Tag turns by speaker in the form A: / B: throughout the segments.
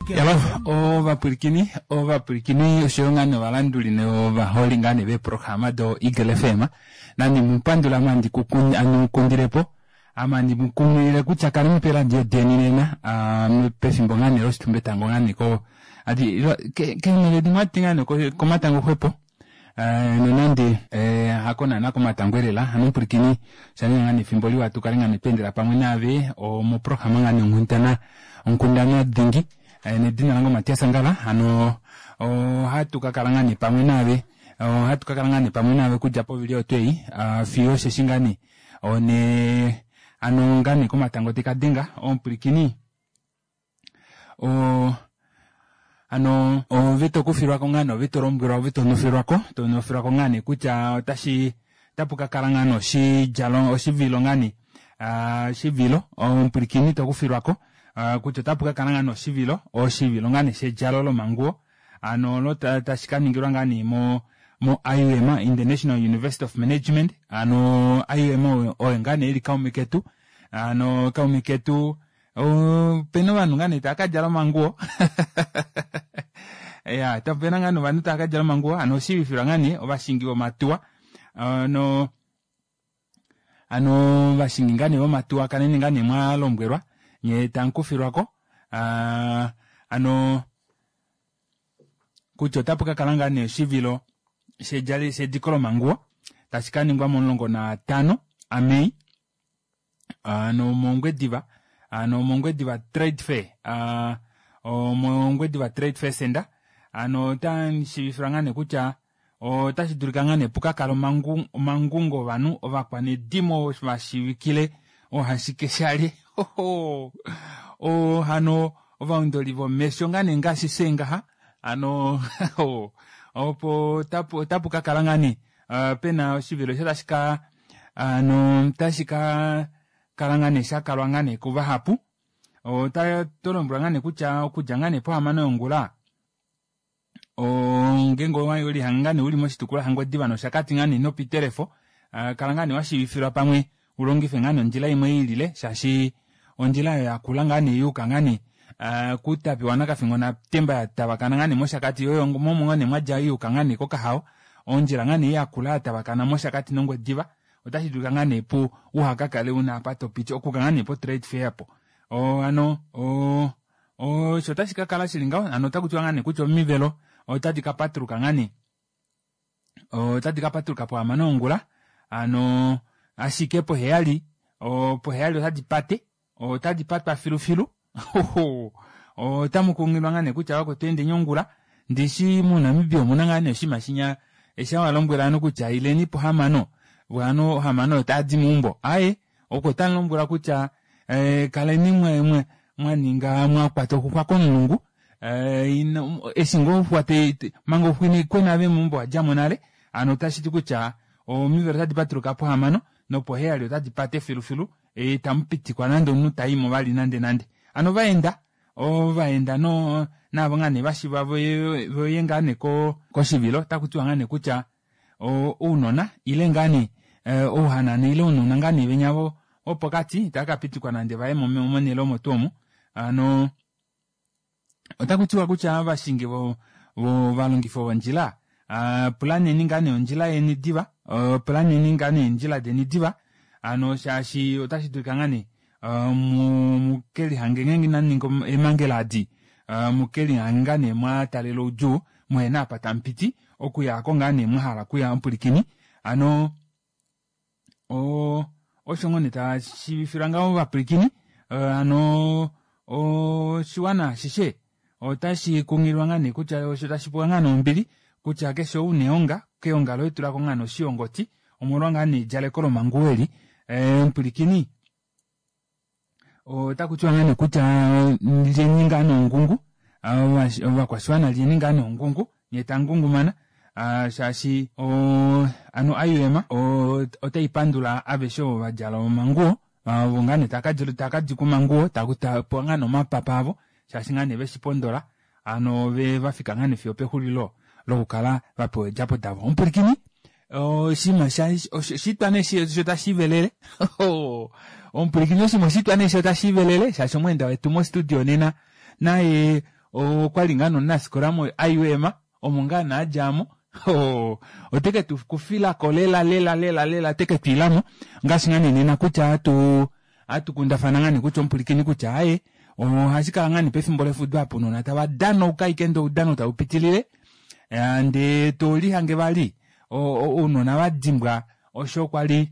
A: Yalo ovapwilikini ovapwilikini oshoyo ngaa nee ovalanduli novaholi ngaa nee veeprograma do Eagle FM nandi mupandula ame andi mukundilepo ame andi mukunghilile kutya kaleni peeradio deni nena pefimbo ngaa nee loshitumbetango ngaa nee ko ati keenhele dimwe ohati ngaa nee komatango xwepo nonande hako naana komatango elela hano omupwilikini oshaninga ngaa nee efimbo liwa tukale ngaa nee tweendela pamwe naave moprograma ngaa nee onghundana onkundana dhingi nedina lange oMatias Ngala hano ohatu kakala ngaa nee pamwe naave ohatu kakala ngaa nee pamwe naave okudja povili oyo twei fiyo osheshi ngaa nee one hano ngaa nee komatango tekadenga omupwilikini o hano ove tokufilwako ngaa nee ove tolombwelwa ove tonofilwako tonofilwako ngaa nee kutya otashi otapu kakala ngaa nee oshidjalo oshivilo ngaa nee oshivilo omupwilikini tokufilwako kutya otapu kakala ngaa nee oshivilo oshivilo ngaa nee shedjalo lomanguwo hano olo tashi kaningilwa ngaa nee mo mo IUM International University of Management hano IUM oyo ngaa nee ili kaume ketu hano kaume ketu opena ovanhu ngaa nee tava kadjala omanguwo ya opena ngaa nee ovanhu tava kadjala omanguwo hano oshiivifilwa ngaa nee ovashingi vomatuwa no hano ovashingi ngaa nee vomatuwa kaleni ngaa nee mwalombwelwa nyee tamukufilwako hano kutya otapu kakala ngaa nee oshivilo shediko lomanguwo tashi kaningwa momulongo naatano aMei ano mOngwediva ano mOngwediva Trade Fair omOngwediva Trade Fair Center ano otamu shiivifilwa ngaa nee kutya otashi dulika ngaa nee pukakale omangungo ovanhu ovakwanedimo vashiivikile oohashikeshalye oo hano ovaundoli vomesho ngaa nee ngaashi fyee ngaha hano opo otapu kakala ngaa nee pena oshivilo osho tashi ka hano otashi ka kala ngaa nee shakalwa ngaa nee kuvahapu ota tolombwelwa ngaa nee kutya okudja ngaa nee pohamano yongula ngeenge owelihanga ngaa nee uli moshitukulwa shaNgwediva noshakati ngaa nee nopitelefo kala ngaa nee washiivifilwa pamwe ulongife ngaa nee ondjila imwe iilile shaashi ondjila oyo yakula ngaa nee yuuka ngaa nee kuutapi waNakafingo natemba yatavakana ngaa nee moshakati oyo momo ngaa nee mwadja yuuka ngaa nee kOkahao ondjila ngaa nee yakula yatavakana moshakati nongwediva otashi dulika ngaa nee pu uhakakale una apa topiti okuka ngaa nee po trade fair po hano osho otashi kakala shili ngaho hano otakutiwa ngaa nee kutya omivelo otadi kapatuluka ngaa nee otadi kapatuluka pohamano yongula hano ashike poheyali poheyali otadi pate otadi patwa filufilu otamu kunghilwa ngaa nee kutya vakwetu endeni ongula ndishi moNamibia omuna ngaa nee oshinima shinya eshi walombwela ovanhu kutya ileni pohamano ovanhu ohamano otadi meumbo aaye oko tamulombwelwa kutya kaleni mwaninga mwakwata oxuxwa komulungu eshi ngoo oxuxwa manga oxuxwa inaikwena ove meumbo owadjamo nale hano otashiti kutya omivelo otadi patuluka pohamano nopoheyali otadi pate filufilu itamupitikwa nande omunhu taimo vali nande nande hano ovaenda ovaenda no naavo ngaa nee vashiva voye ngaa nee koshivilo otakutiwa ngaa nee kutya ounona ile ngaa nee ouhanana ile ounona ngaa nee venya vopokati itava kapitikwa nande vaye monhele omo tuu omo hano otakutiwa kutya ovashingi vovalongifi vondjila pulaneni ngaa nee ondjila yeni diva pulaneni ngaa nee eendjila deni diva hano shaashi otashi dulika ngaa nee mukelihange ngeenge inamu ninga eemhangela adi mukelihange ngaa nee mwataalela oudjuu muhena apa tamupiti okuya aako ngaa nee mwahala okuya omupwilikini hano osho ngoo nee tashiivifilwa ngaho ovapwilikini hano oshiwana ashishe otashi kunghililwa ngaa nee kutya osho tashi pewa ngaa nee ombili kutya keshe ou neonga keonga loye tulako ngaa nee oshiyongoti omolwa ngaa nee edjaleko lomanguwo eli omupwilikini otakutiwa ngaa nee kutya lyeni ngaa nee ongungu ovakwashiwana lyeni ngaa nee ongungu nyee tamungungumana shaashi hano IUM otaipandula aveshe ovo vadjala omanguwo ovo ngaa nee taakadikwa omanguwo tapewa ngaa nee omapapa avo shaashi ngaa nee veshipondola hano vafika ngaa nee fiyo opexulilo lokukala vapewa eedjapo davo omupwilikini oshinima oshitwa nee osho tashiivelele omupwilikini oshinima oshitwa nee osho tashiivelele shaashi omweenda wetu mostudio nena naye. Okwali ngaa nomunafikola mo-IUM omo ngaa nee adjamo ote ke tu kufilako lela lela lela lela te ke twiilamo ngaashi ngaa nee nena kutya atu atu kundafana ngaa nee kutya omupulikini kutya aaye ohashi kala ngaa nee pefimbo lefudo apo ounona tava danauka ashike ndee oudano tau pitilile ndee tolihange vali ounona va dimbwa osho kwali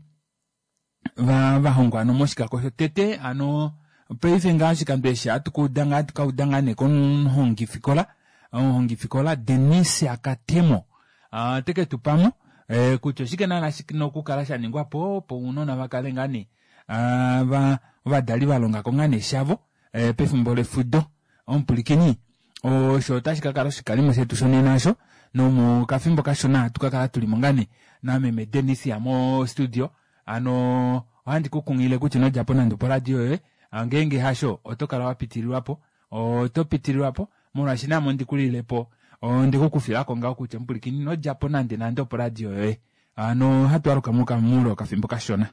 A: vahongwa hano moshikako shotete hano paife ngaa oshikando eshi ohatu kauda ngaa hatu kauda ngaa nee komuhongifikola omuhongifikola Denisia Katemo ote ke tu pamo kutya oshike naana shina okukala sha ningwapo opo ounona va kale ngaa nee ovadali va longako ngaa nee shavo pefimbo lefudo omupulikini osho otashi ka kala oshikalimo shetu shonena osho nomokafimbo kashona ohatu ka kala tulimo ngaa nee nameme Denisia mo studio hano ohandi ku kunghilile kutya ino djapo nande oporadio yoye ngeenge hasho oto kala wa pitililwapo oto pitililwapo molwaashi naame ondi kulilepo onde ku kufilako ngaho kutya omupulikini ino djapo nande nande oporadio yoye hano ohatu aluka muule wokafimbo kashona.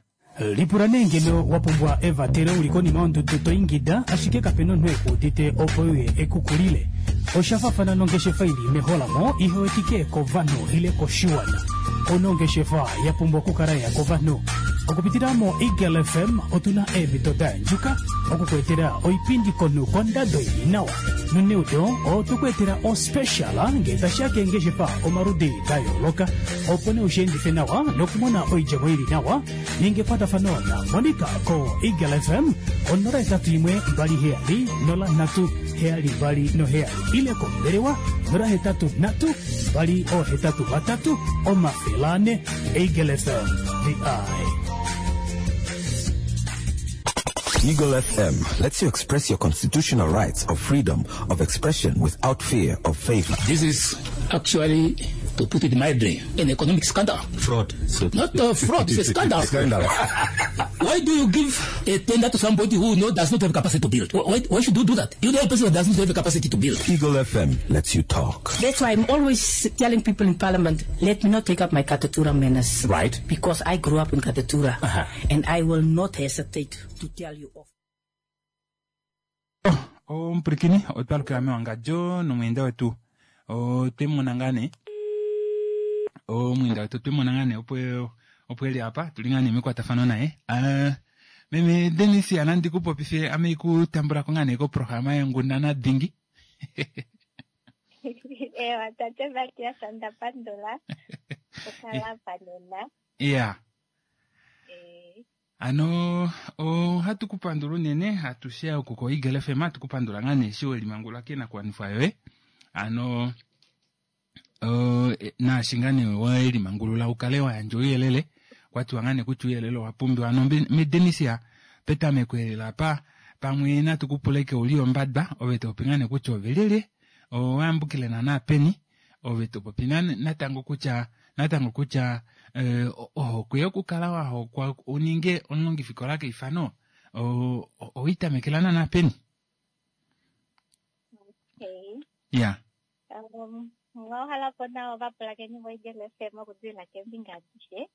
B: Lipula nee ngeno wa pumbwa evatelo u li konima yondudu to ingida ashike kape na omunhu e ku udite opo e uye e ku kulile. Osha faafana nongeshefa i li meholamo ihe wetike kovanhu ile koshiwana. Ouna ongeshefa ya pumbwa okukala ya kovanhu. Okupitila moEagle FM otu na eemhito da yandjuka oku ku etela oipindi komunhu kondado i li nawa. Noneudo otwe ku etela ospecial ngee tashi ya keengeshefa omaludi da yooloka. Opo nee ushiendife nawa nokumona oidjemo ili nawa, ninga ekwatafano na Monica ko Eagle FM ko 081 27 03 72 ile kombelewa 083 283 400. Eagle FM, the eye.
C: Eagle FM lets you express your constitutional rights of freedom of expression without fear of favor.
D: This is actually, to put it mildly, an economic scandal.
C: Fraud. So
D: Not a fraud, it's a scandal.
C: Scandal.
D: Why do you give a tender to somebody who does not have capacity to build? Why should you do that? You know a person that does not have the capacity to build.
C: Eagle FM lets you talk.
E: That's why I'm always telling people in Parliament, let me not take up my Katutura manners.
C: Right.
E: Because I grew up in Katutura. And I will not hesitate to tell you off.
A: Omupwilikini otwa lukila mewangadjo nomweenda wetu otwe mona ngaa nee omweenda wetu otwe mona ngaa nee opo opo eli apa tuli ngaa nee mekwatafano naye meme Denis anandi ku popife ame ku tambula ko ngaa nee koprograma yonghundana dingi.
F: Ewa tate Matias onda pandula okukala apa nena.
A: Iya. Hano ohatu ku pandula unene hatu share oku ko Eagle FM hatu ku pandula ngaa nee eshi welimangulula koinakuwanifwa yoye. Hano naashi ngaa nee welimangulula u kale wa yandja ouyelele kwa tiwa ngaa nee kutya ouyelele owa pumbiwa. Hano meDenisia petameko elela apa pamwe natu ku pule ke uli ombadwa ove to popi ngaa nee kutya ove lyelye owayambukile naana peni ove to popi natango kutya natango kutya ohokwe yokukala wa hokwa u ninge omulongifikola keifano oweitamekela naana peni?
F: Okay.
A: Ya.
F: Mwa po nawa ovapulakeni voEagle FM okudilila keembinga adishe.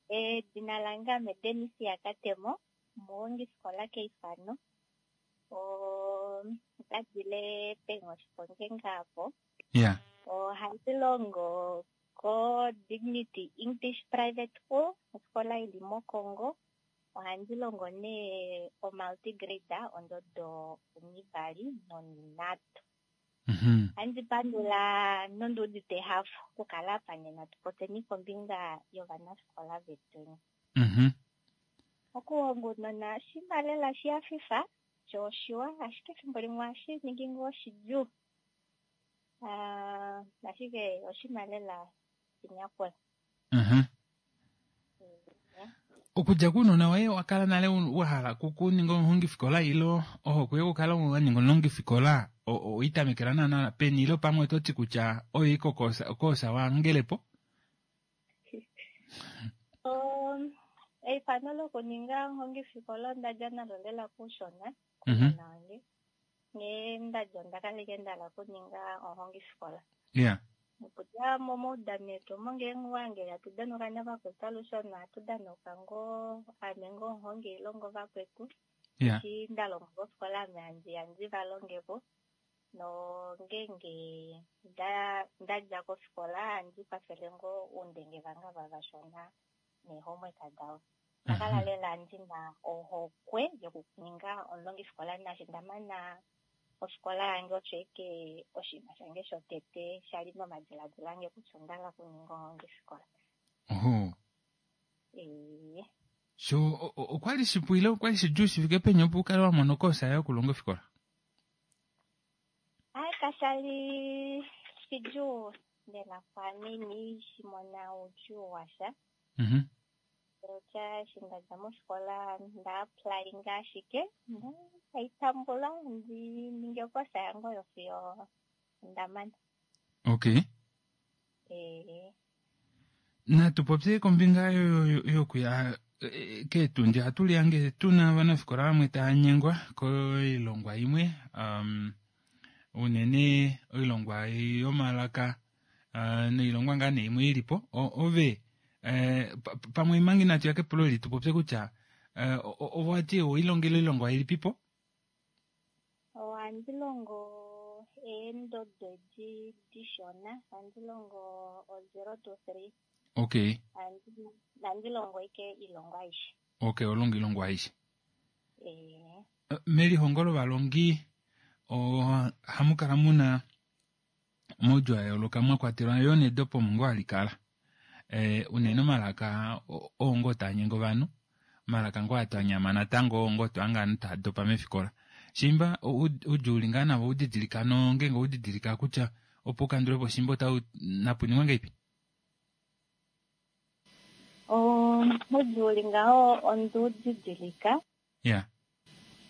F: Edina lange ame Denisia Katemo, omuhongifikola keifano. Otadile pEnghoshi apo.
A: Ya.
F: Ohandi longo ko Dignity English Private School, ofikola ili mOkongo. Ohandi longo nee omultigrade ondodo onivali nonhinhatu. Ohandi pandula nondiudite ehafo okukala apa nena tupopyeni kombinga yovanafikola vetweni. Okuhonga ounona oshinima lela shihafifa sho oshiwa, ashike efimbo limwe ohashi ningi ngoo shidjuu. Ashike oshinima lela shinyakula.
A: Okudja kounona woye wa kala nale wa hala okuninga omuhongifikola ile ohokwe yokukala wa ninga omulongifikola oweitamekela naana peni ile pamwe oto ti kutya oyo iko koosa wa hangelepo?
F: Eifano lokuninga omuhongifikola onda dja nalo lela koushona kounona wange. Nghee nda dja onda kala ashike nda hala okuninga omuhongifikola.
A: Yeah.
F: Okudja momaudano etu omo ngeenge owange hatu danauka navakwetu alushe omo hatu danauka ngoo ame ngoo omuhongi ile ngoo vakwetu.
A: Yeah.
F: Eshi nda longa kofikola ame handi ya ndi va longepo. Nongeenge nda dja kofikola handi kwafele ngoo oundenge vange ava vashona neehomework davo. Onda kala lela ndina ohokwe yokuninga omulongifikola naashi nda mana ofikola yange osho ashike oshinima shange shotete shali momadiladilo ange kutya onda hala okuninga omulongifikola.
A: Oho.
F: Ee.
A: So okwali shipu ile okwali shidjuu shi fike peni opo u kale wa mona okoosa yokulonga ofikola?
F: Ai, kasha li shidjuu lela kwaame, inandi shi mona oudjuu washa. Otya eshi nda dja mofikola nda applyinga ashike ndai tambula ndi ninge okosa yange oyo fiyo nda mana.
A: Okay.
F: Ee.
A: Natu popye kombinga yokuya keetundi. Ohatu lihange tu na ovanafikola vamwe tava nyengwa koilongwa imwe, unene oilongwa yomalaka noilongwa ngaa nee imwe ilipo. Ove pamwe manga inatu ya kepulo eli tu popye kutya ove wati owailongele oilongwa ilipipo?
F: Ohandi longo eendodo edi dishona, ohandi longo o 0 to 3.
A: Okay.
F: Ohandi longo ashike oilongwa aishe.
A: Okay, oho longo oilongwa aishe.
F: Ee.
A: Melihongo lovalongi ohamu kala muna omaudjuu a yooloka mwa kwatelwa yoo nedopo omo ngoo hali kala. Unene omalaka oo ngoo taa nyenge ovanhu, omalaka ngoo aa twa nyama natango oo ngoo twa hanga ovanhu taa dopa meefikola. Shimba oudjuu uli ngaa navo oudidilika nongeenge oudidilika kutya opo ukandule po shimba otau napu ningwe ngahelipi?
F: Oudjuu uli ngaho ondiudidilika.
A: Ya.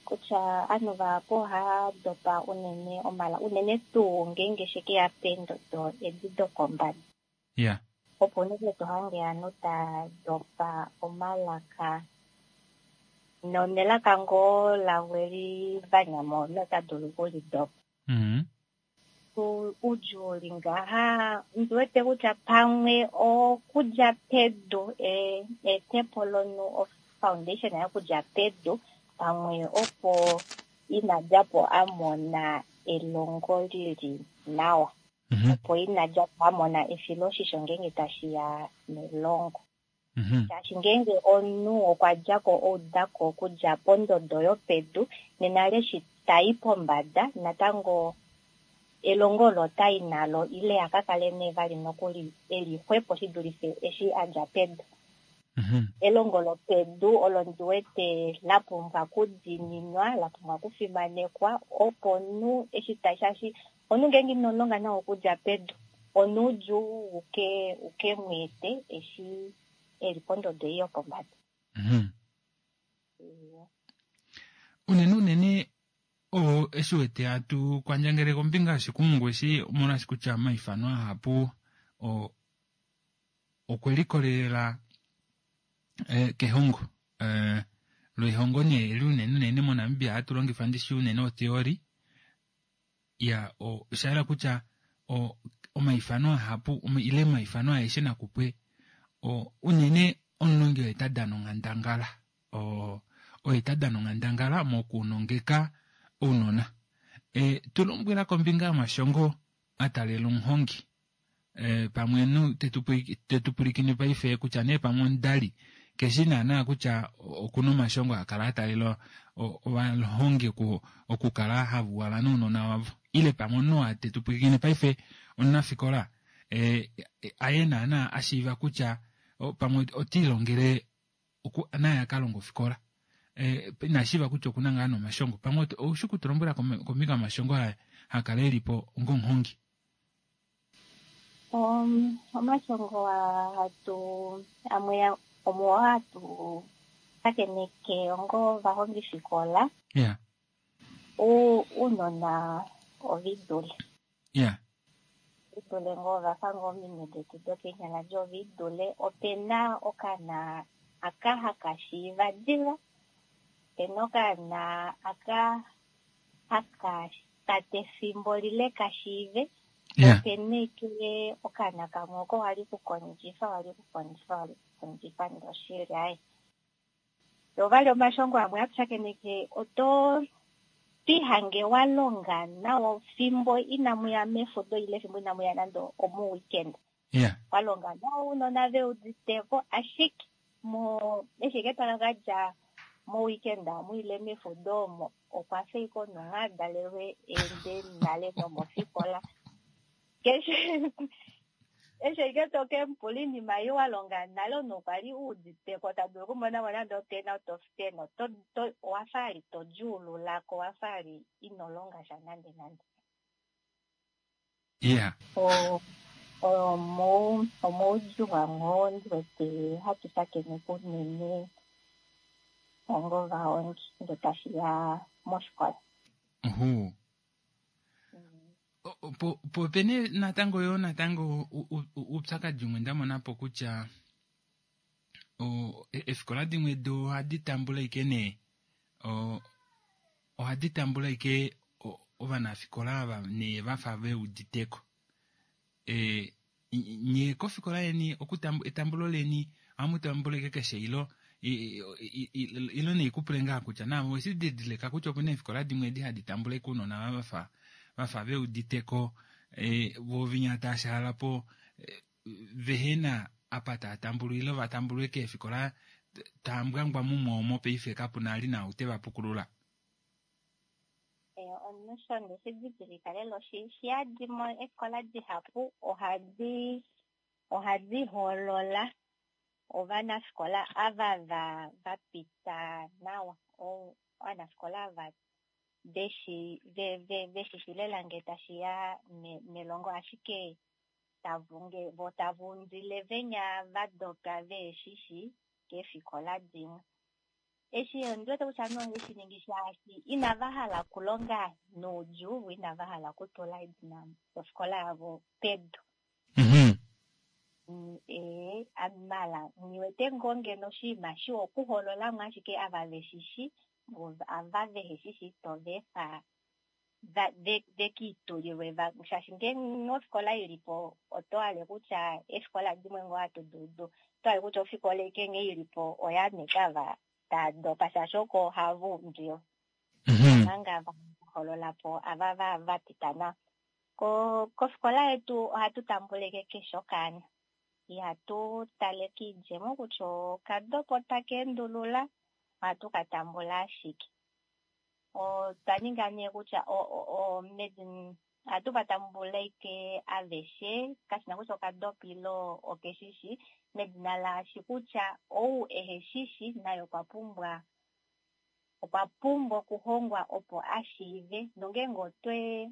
F: Kutya ovanhu vahapu ohava dopa unene omala, unene tuu ngeenge she ke ya peendodo edi dokombada.
A: Ya.
F: Opo unene to hange ovanhu tava dopa omalaka nonelaka ngoo lavo eli va nyama omunhu ota dulu okulidopa. Oudjuu uli ngaha, ndi wete kutya pamwe okudja pedu, eetepo lomunhu, foundation yokudja pedu, pamwe opo ina dja po a mona elongo lili nawa. Opo ina dja po a mona efiloshisho ngeenge tashi ya melongo. Shaashi ngeenge omunhu okwa dja ko oudako okudja pondodo yopedu, nena leshi ta i pombada, natango elongo olo ota i nalo ile a ka kale nee vali nokuli e li xwepo shi dulife eshi a dja pedu. Elongo lopedu olo ndi wete la pumbwa kudiininwa, la pumbwa kufimanekwa, opo omunhu eshi ta, shaashi omunhu ngeenge ino longa nawa okudja pedu, onoudjuu uke uke mu ete eshi e li pondodo ei yopombada.
A: Unene unene oo eshi wete hatu kwandjangele kombinga yoshikumungu eshi omolwaashi kutya omaifano ahapu okwe likolelela kehongo. Loihongo nee eli unene unene moNamibia ohatu longifa ndishi unene otheory. Ya, osha yela kutya omaifano ahapu ile omaifano aeshe nakupwe unene omulongi oye ta dana onghandangala. Oye ta dana onghandangala mokunongeka ounona. Tu lombwela kombinga yomashongo a taalela omuhongi. Pamwe omunhu te tu pwilikine paife kutya nee pamwe omudali keshi naana kutya okuna omashongo a kala a taalela ovahongi okukala hava uhala nounona wavo. Ile pamwe omunhu oo te tu pwilikine paife omunafikola aye naana a shiiva kutya pamwe ota ilongele naye a ka longa ofikola. Ina shiiva kutya okuna ngaa nomashongo. Pamwe oushi okutulombwela kombinga yomashongo aa hakala elipo onga omuhongi?
F: Omashongo hatu amwe omuo hatu shakeneke onga ovahongifikola. Ounona ovidule. Ovidule ngoo ovafa ngoo ominwe detu dokeenyala dje ovidule. Opena okaana aka haka shiiva diva. Opena okaana aka haka kwata efimbo lile ka shiive. Opena eke okaana kamwe oko wali kukondjifa, wali kukondjifa, wali kukondjifa ndee oshili aaye. Yo vali omashongo amwe hatu shakeneke oto Twiihange wa longa nawa fimbo inamu ya mefudo ile fimbo inamu ya nande omuweekend. Wa longa nawa ounona ve uditeko, ashike mo eshi ike tava ka dja moweekend amu ile mefudo omo okwa fa ike omunhu a dalelwe ende nale nomofikola. Keshe eshi ike to ke mu pula oinima ei wa longa nale omunhu okwa li u uditeko ta dulu okumona mo nande o10 out of 10 oto to owa fa ali to djuululako owa fa ali ino longa sha nande nande. Omoudjuu amwe oo ndi wete hatu shakeneke unene onga ovahongi nge tashi ya mofikola.
A: Po opena natango yoo natango oupyakadi umwe nda mona po kutya eefikola dimwe do ohadi tambula ike nee ohadi tambula ike ovanafikola ava nee vafa veuditeko. Nye kofikola yeni etambulo leni ohamu tambula ike keshe ilo ilo neikupule ngaa kutya naave oweshi didilika kutya opena eefikola dimwe edi hadi tambula ike ounona ava vafa veuditeko voo vinya taashaalapo vehena apa taa tambulwa ile va tambulwe keefikola taambwangwa mumwe omo paife kapuna ali nau te va pukulula.
F: Omunhu sho ndeshi didilika lela oshi yadi mo eefikola dihapu ohadi hoolola ovanafikola ava va pita nawa, ovanafikola ava veshi lela nge tashi ya melongo, ashike vo tava undile venya va dopa veeshishi keefikola dimwe. Eshi ondi wete kutya nohe shi ningi shaashi inava hala okulonga noudjuu vo inava hala okutula edina lofikola yavo pedu. Mala nghiwete ngoo ngeno oshinima shiwa okuhoololamo ashike ava veshishi vo ava veheshishi tova efa vekiitulilwe shaashi ngeenge ofikola ilipo oto hale kutya eefikola dimwe ngoo hatu dudu oto hale kutya ofikola ike nghee ilipo oya ava taa dopa shaashi oko ohava undilwa. Omanga va hoololapo ava va pita nawa. Kofikola yetu ohatu tambuleke keshe okaana. Ihatu tale kiidjemo kutya okadopa otaka endulula, ohatu ka tambula ashike. Otwa ninga nee kutya ohatu va tambula ike aveshe, kashina kutya okadopa ile okeshishi, medina laashi kutya ou eheshishi naye okwa pumbwa okuhongwa opo ashiive, nongeenge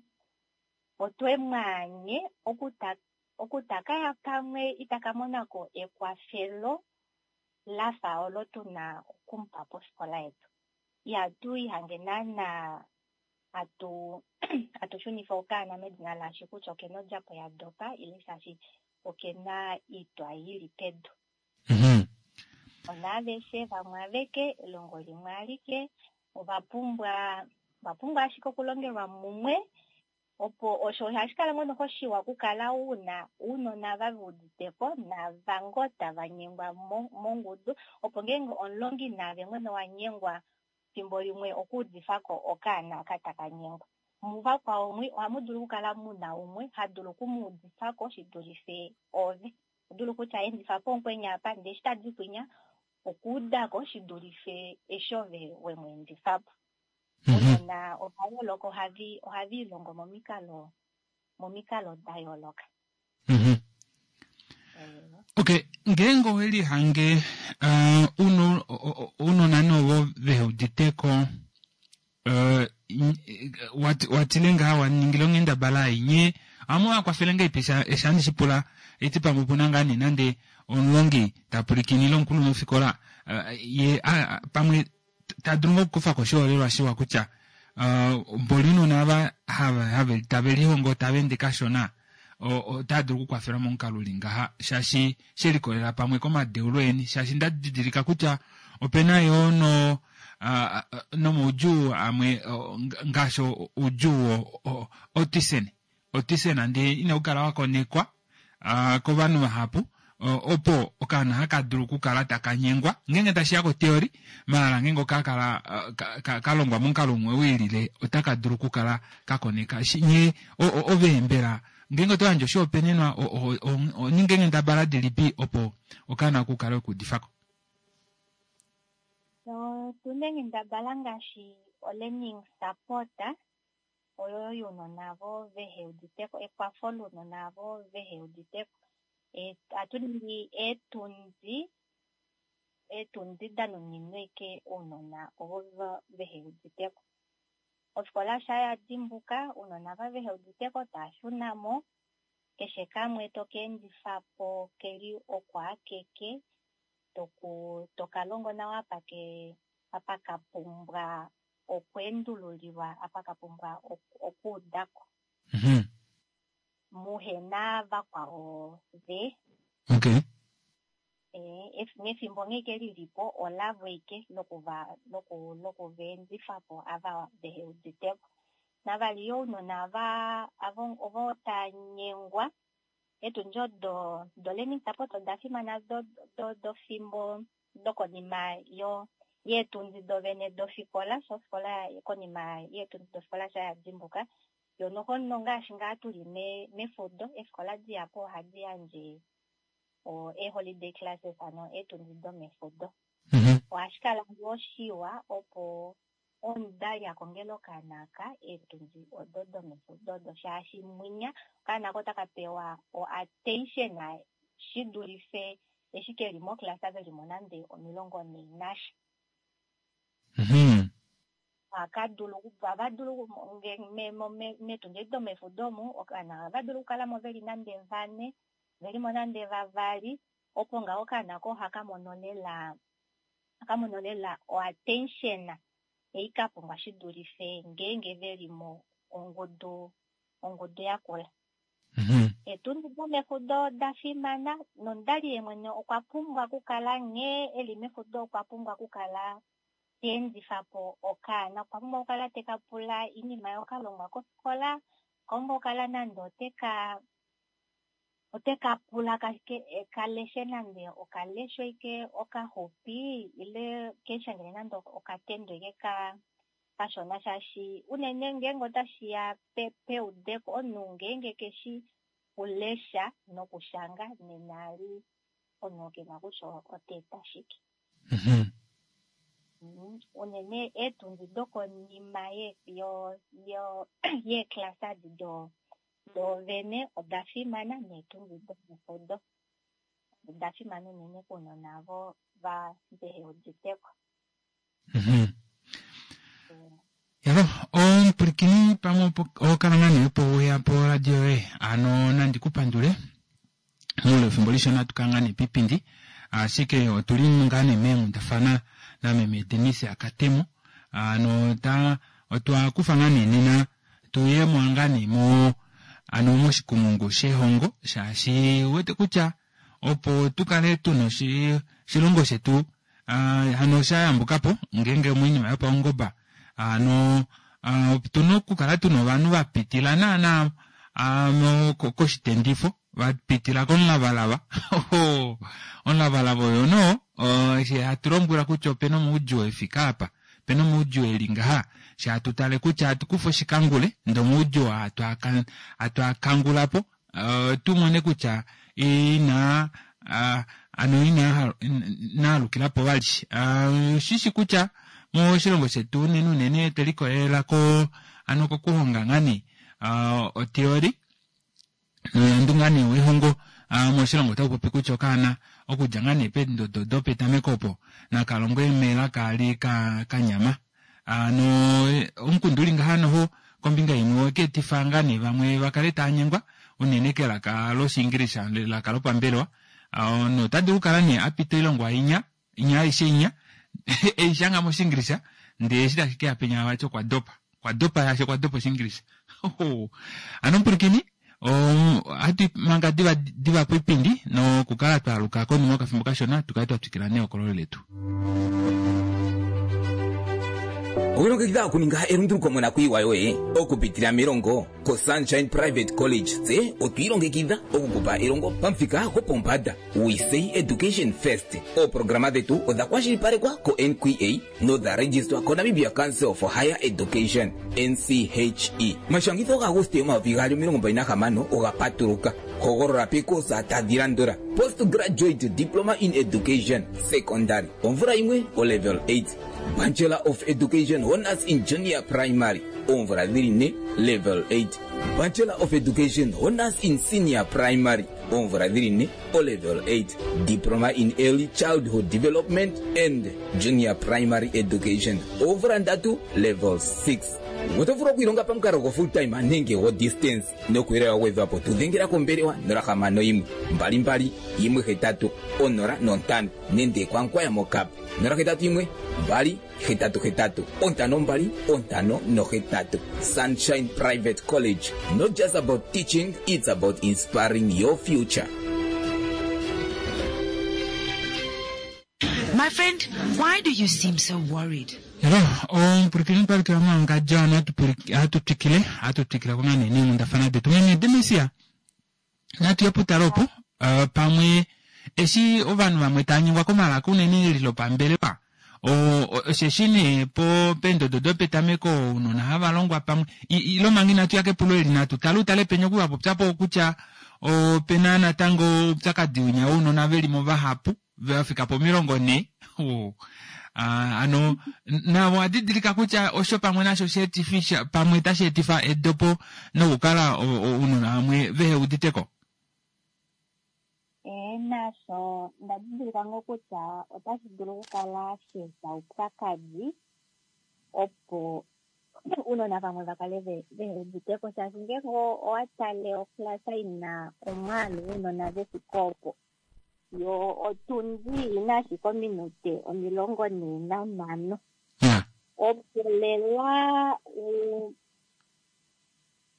F: otwe mwaanye okutakaya pamwe itaka monako ekwafelo lafa olo tuna okumupa pofikola yetu. Ihatu ihange naana hatu shunifa okaana medina laashi kutya okena odjapo ya dopa ile shaashi okena oitwa ili pedu. Onaaveshe vamwe aveke elongo limwe alike ova pumbwa ashike okulongelwa mumwe opo osho ohashi kala ngoo noho shiwa okukala una ounona va uditeko nava ngoo tava nyengwa mongudu opo ngeenge omulongi naave mwene wa nyengwa fimbo limwe okuudifako okaana aka taka nyengwa. Muvakwao mwi ohamu dulu okukala muna umwe ha dulu okumuudifako shi dulife ove. Dulu kutya endifa po omukweni apa ndee eshi tadi kwinya okuudako shi dulife eshi ove wemweendifapo. Ounona ova yooloka ohava ilongo momikalo da yooloka.
A: Okay, ngeenge owelihange ounona novo veuditeko watile ngaha waningile onghendabala ei nye ohamu vakwafele ngahelipi eshi handi shipula eti pamwe opuna ngaa nee nande omulongi tapulikinile omukulunhufikola ye pamwe tadulu ngoo okukufako oshiholelwa shiwa kutya mboli ounona ava tave lihongo tava ende kashona otava dulu okukwafelwa momukalo uli ngaha shaashi shelikolela pamwe komadeulo eni shaashi ndadidilika kutya opena yoo nomaudjuu amwe ngaashi oudjuu autism ndee inaukala wakonekwa kovanhu vahapu. Opo okaana haka dulu okukala taka nyengwa ngeenge tashiya koteori maala ngeenge okakala kalongwa momukalo umwe wiilile otaka dulu okukala kakoneka nye ove mbela ngeenge oto yandje oshihopaenenwa oninge eenghendabala dilipi opo okaana kukale okuudifako?
F: Otuna eenghendabala ngaashi o-learning support oyo younona avo vehe uditeko, ekwafo lounona avo vehe uditeko. Ohatu ningi eetundi da nuninwa ashike ounona ovo vehe uditeko. Ofikola sha ya dimbuka, ounona ava vehe uditeko tava shuna mo, keshe kamwe toka endifapo keli oko akeke, toka longo nawa apa ka pumbwa okweendululilwa, apa ka pumbwa okuudako. Muhena vakwao ve.
A: Okay.
F: Nefimbo nghee ke lilipo olavo ike lokuva endifapo ava vehe uditeko. Navali yo ounona ava ovo tanyengwa eetundi odo do learning support oda fimana dofimbo dokonima yeetundi dovene dofikola, sho ofikola konima yeetundi dofikola sha yadimbuka yo noho nongaashi ngaa tuli mefudo eefikola dihapu ohadi yandje ee-holiday classes ano eetundi domefudo. Ohashi kala ngoo shiwa opo omudali akongele okaana aka eetundi odo domefudo odo shaashi mwinya okaana ako otaka pewa o-attention shi dulife eshi keli moclass velimo nande 41 nasha. Ohava dulu meetundi domefudo omu okaana ohava dulu okukalamo veli nande vane, velimo nande vavali, opo ngaho okaana ko ohaka mono lela o-attention ei ka pumbwa shi dulife ngeenge velimo ongudu yakula. Eetundi domefudo oda fimana nomudali ye mwene okwa pumbwa okukala nghee eli mefudo okwa pumbwa okukala ta endifapo okaana, okwa pumbwa okukala teka pula oinima yokalongwa kofikola, okwa pumbwa okukala nande oteka pula kaleshe nande okaleshwa ike okaxupi ile keshangele nande okatendo ike kashona shaashi unene ngeenge otashiya peudeko omunhu ngeenge keshi kulesha nokushanga nena ali omunhu kena kutya ota eta shike. Unene eetundi dokonima yeeklasa edi dovene oda fimana neetundi domefudo oda fimana unene kounona avo vehe uditeko.
A: Yalo omupulikini pamwe okala ngaa nee opo weya po radio yoye ano nandi kupandule muule wefimbo lishona tukala ngaa nee pipindi ashike otuli ngaa nee meenghundafana nameme Denise Akatemo ano otwa kufa ngaa nee nena tuye mo ngaa nee mo ano moshikumungu shehongo shaashi wete kutya opo tukale tuna oshilongo shetu hano sha yambukapo ngeenge moinima yopaungoba ano otuna okukala tuna ovanhu vapitila naana koshitendifo vapitila komulavalava. Omulavalava oyo no eshi hatu lombwelwa kutya opena omaudjuu efika apa, opena omaudjuu eli ngaha, eshi hatu tale kutya hatu kufa oshikangule ndee omaudjuu hatu akangulapo tumone kutya ina ano ina alukilapo vali. Oshishi kutya moshilongo shetu unene unene twelikolelela ano kokuhonga ngaa nee otheory noyandu ngaa nee wehongo moshilongo otau popi kutya okaana okudja ngaa nee peendodo dopetameko opo nakalongwe melaka ali kanyama. Ano omukundu uli ngaha noho kombinga imwe okeetifa ngaa nee vamwe vakale tava nyengwa unene kelaka loshiingilisha elaka lopambelewa nota dulu okukala nee apita oilongwa inya inya aishe inya eishanga moshiingilisha ndee eshi tashi keya penya vati okwa dopa okwa dopa shaashi okwa dopa oshiingilisha. Ano omupulikini ohatu manga diva diva poipindi nokukala twaaluka konima yokafimbo kashona tukale twa twikila nehokololo letu.
C: Owilongekidha okuninga elunduluko monakuyiwa yoye okupitila melongo koSunshine Private College. Tse otwi ilongekidha okukupa elongo pamuthika gopombanda. We say education first. Ooprograma dhetu odha kwashilipalekwa ko-NQA nodha registwa koNamibia Council for Higher Education, NCHE. Omashangitho gaAguste 2026 oga patuluka. Hogolola peekosa tadhi landula: Postgraduate Diploma in Education, Secondary, omvula yimwe, olevel 8. Bachelor of Education Honours in Junior Primary, oomvula dhili ne, level 8. Bachelor of Education Honours in Senior Primary, oomvula dhili ne, olevel 8. Diploma in Early Childhood Development and Junior Primary Education, oomvula ndatu, level 6. Oto vulu okwiilonga pamukalo go full time nenge go distance. Nokuuyelele wa gwedhwa po tu dhengela kombelewa 061 22 18 05 nenge kwaNkwaya moKap 081 2 88 52 58. Sunshine Private College, not just about teaching, it's about inspiring your future.
G: My friend, why do you seem so worried?
A: Hello, omupulakeni twalukila mowangadjo ano hatu twikile hatu twikile ko ngaa nee neenghundafana detu meme Demesia natu ye putalo opo uh, pamwe eshi ovanhu vamwe tava nyengwa komalaka unene eli lopambelewa osheshi nee po peendodo dopetameko ounona hava longwa pamwe ile omanga inatu ya kepulo eli natu tale utale penya oku va po kutya opena natango oupyakadi winya wounona ve li mo vahapu va fika po 40 hano navo owa didilika kutya osho pamwe nasho sheetifi pamwe tashi etifa edopo nokukala ounona vamwe vehe uditeko.
F: Ee, nasho nda didilika ngoo kutya otashi dulu okukala sha eta oupyakadi opo ounona vamwe va kale vehe uditeko shaashi ngeenge owa tale oklasa ina omwaalu wounona ve fike opo yo otundi ina ashike ominute 45 opo lela u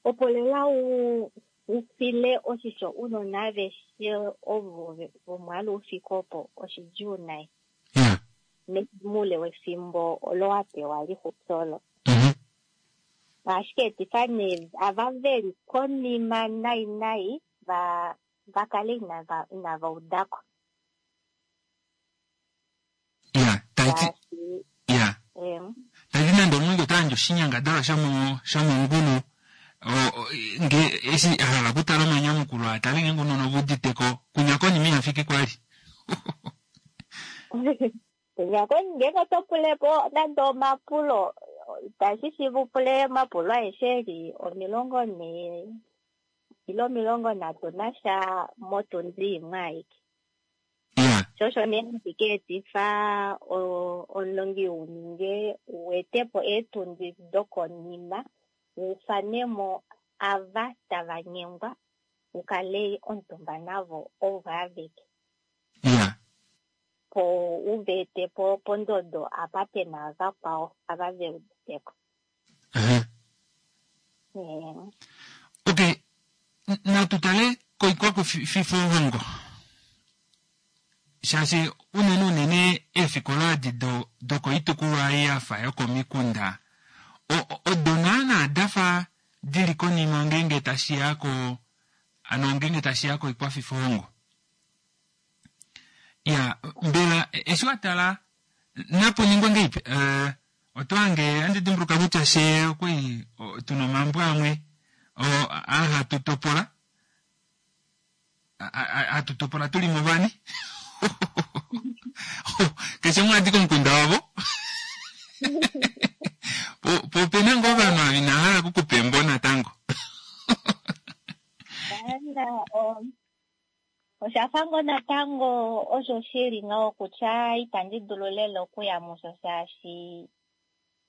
F: opo lela u ufile oshisho ounona aveshe ovo vomwaalu u fike opo oshidjuu nai moule wefimbo olo wa pewa lixupi olo. Ohashi ka etifa nee ava veli konima nai nai va va kale inava inava udako.
A: Ya, taiti ya. Taiti nande omunhu ota yandje oshinyangadalwa shomo shomongulu nge eshi a hala okutala omanyamukulo a tale ngeenge ounona ove udite ko kunya konima iha fiki kwali.
F: Kunya konima ngeenge oto pule po nande omapulo itashi shiiva u pule omapulo aeshe eli 40 ile 31 motundi imwe aike. Sho osho nee hashi ka etifa omulongi u ninge u ete po eetundi dokonima u ufane mo ava tava nyengwa u kale omutumba navo ovo aveke. Po u va ete po pondodo apa pe na vakwao ava ve udite ko.
A: Okay, natu tale koikwakufifohongo shaashi unene unene eefikola edi dokoitukulwa ei ya fa yokomikunda odo naana da fa di li konima ngeenge tashi ya ko ano ngeenge tashi ya koikwafifohongo. Ya mbela eshi wa tala napu ningwe ngeipi uh, oto hange andi dimbuluka kutya she okwali tuna omambo amwe aa hatu topola hatu topola tuli movane keshe umwe adi komukunda wavo po opena ngoo ovanhu ava inava hala okukupa embo natango.
F: Osha fa ngoo natango osho shi li ngaho kutya itandi dulu lela okuya musho shaashi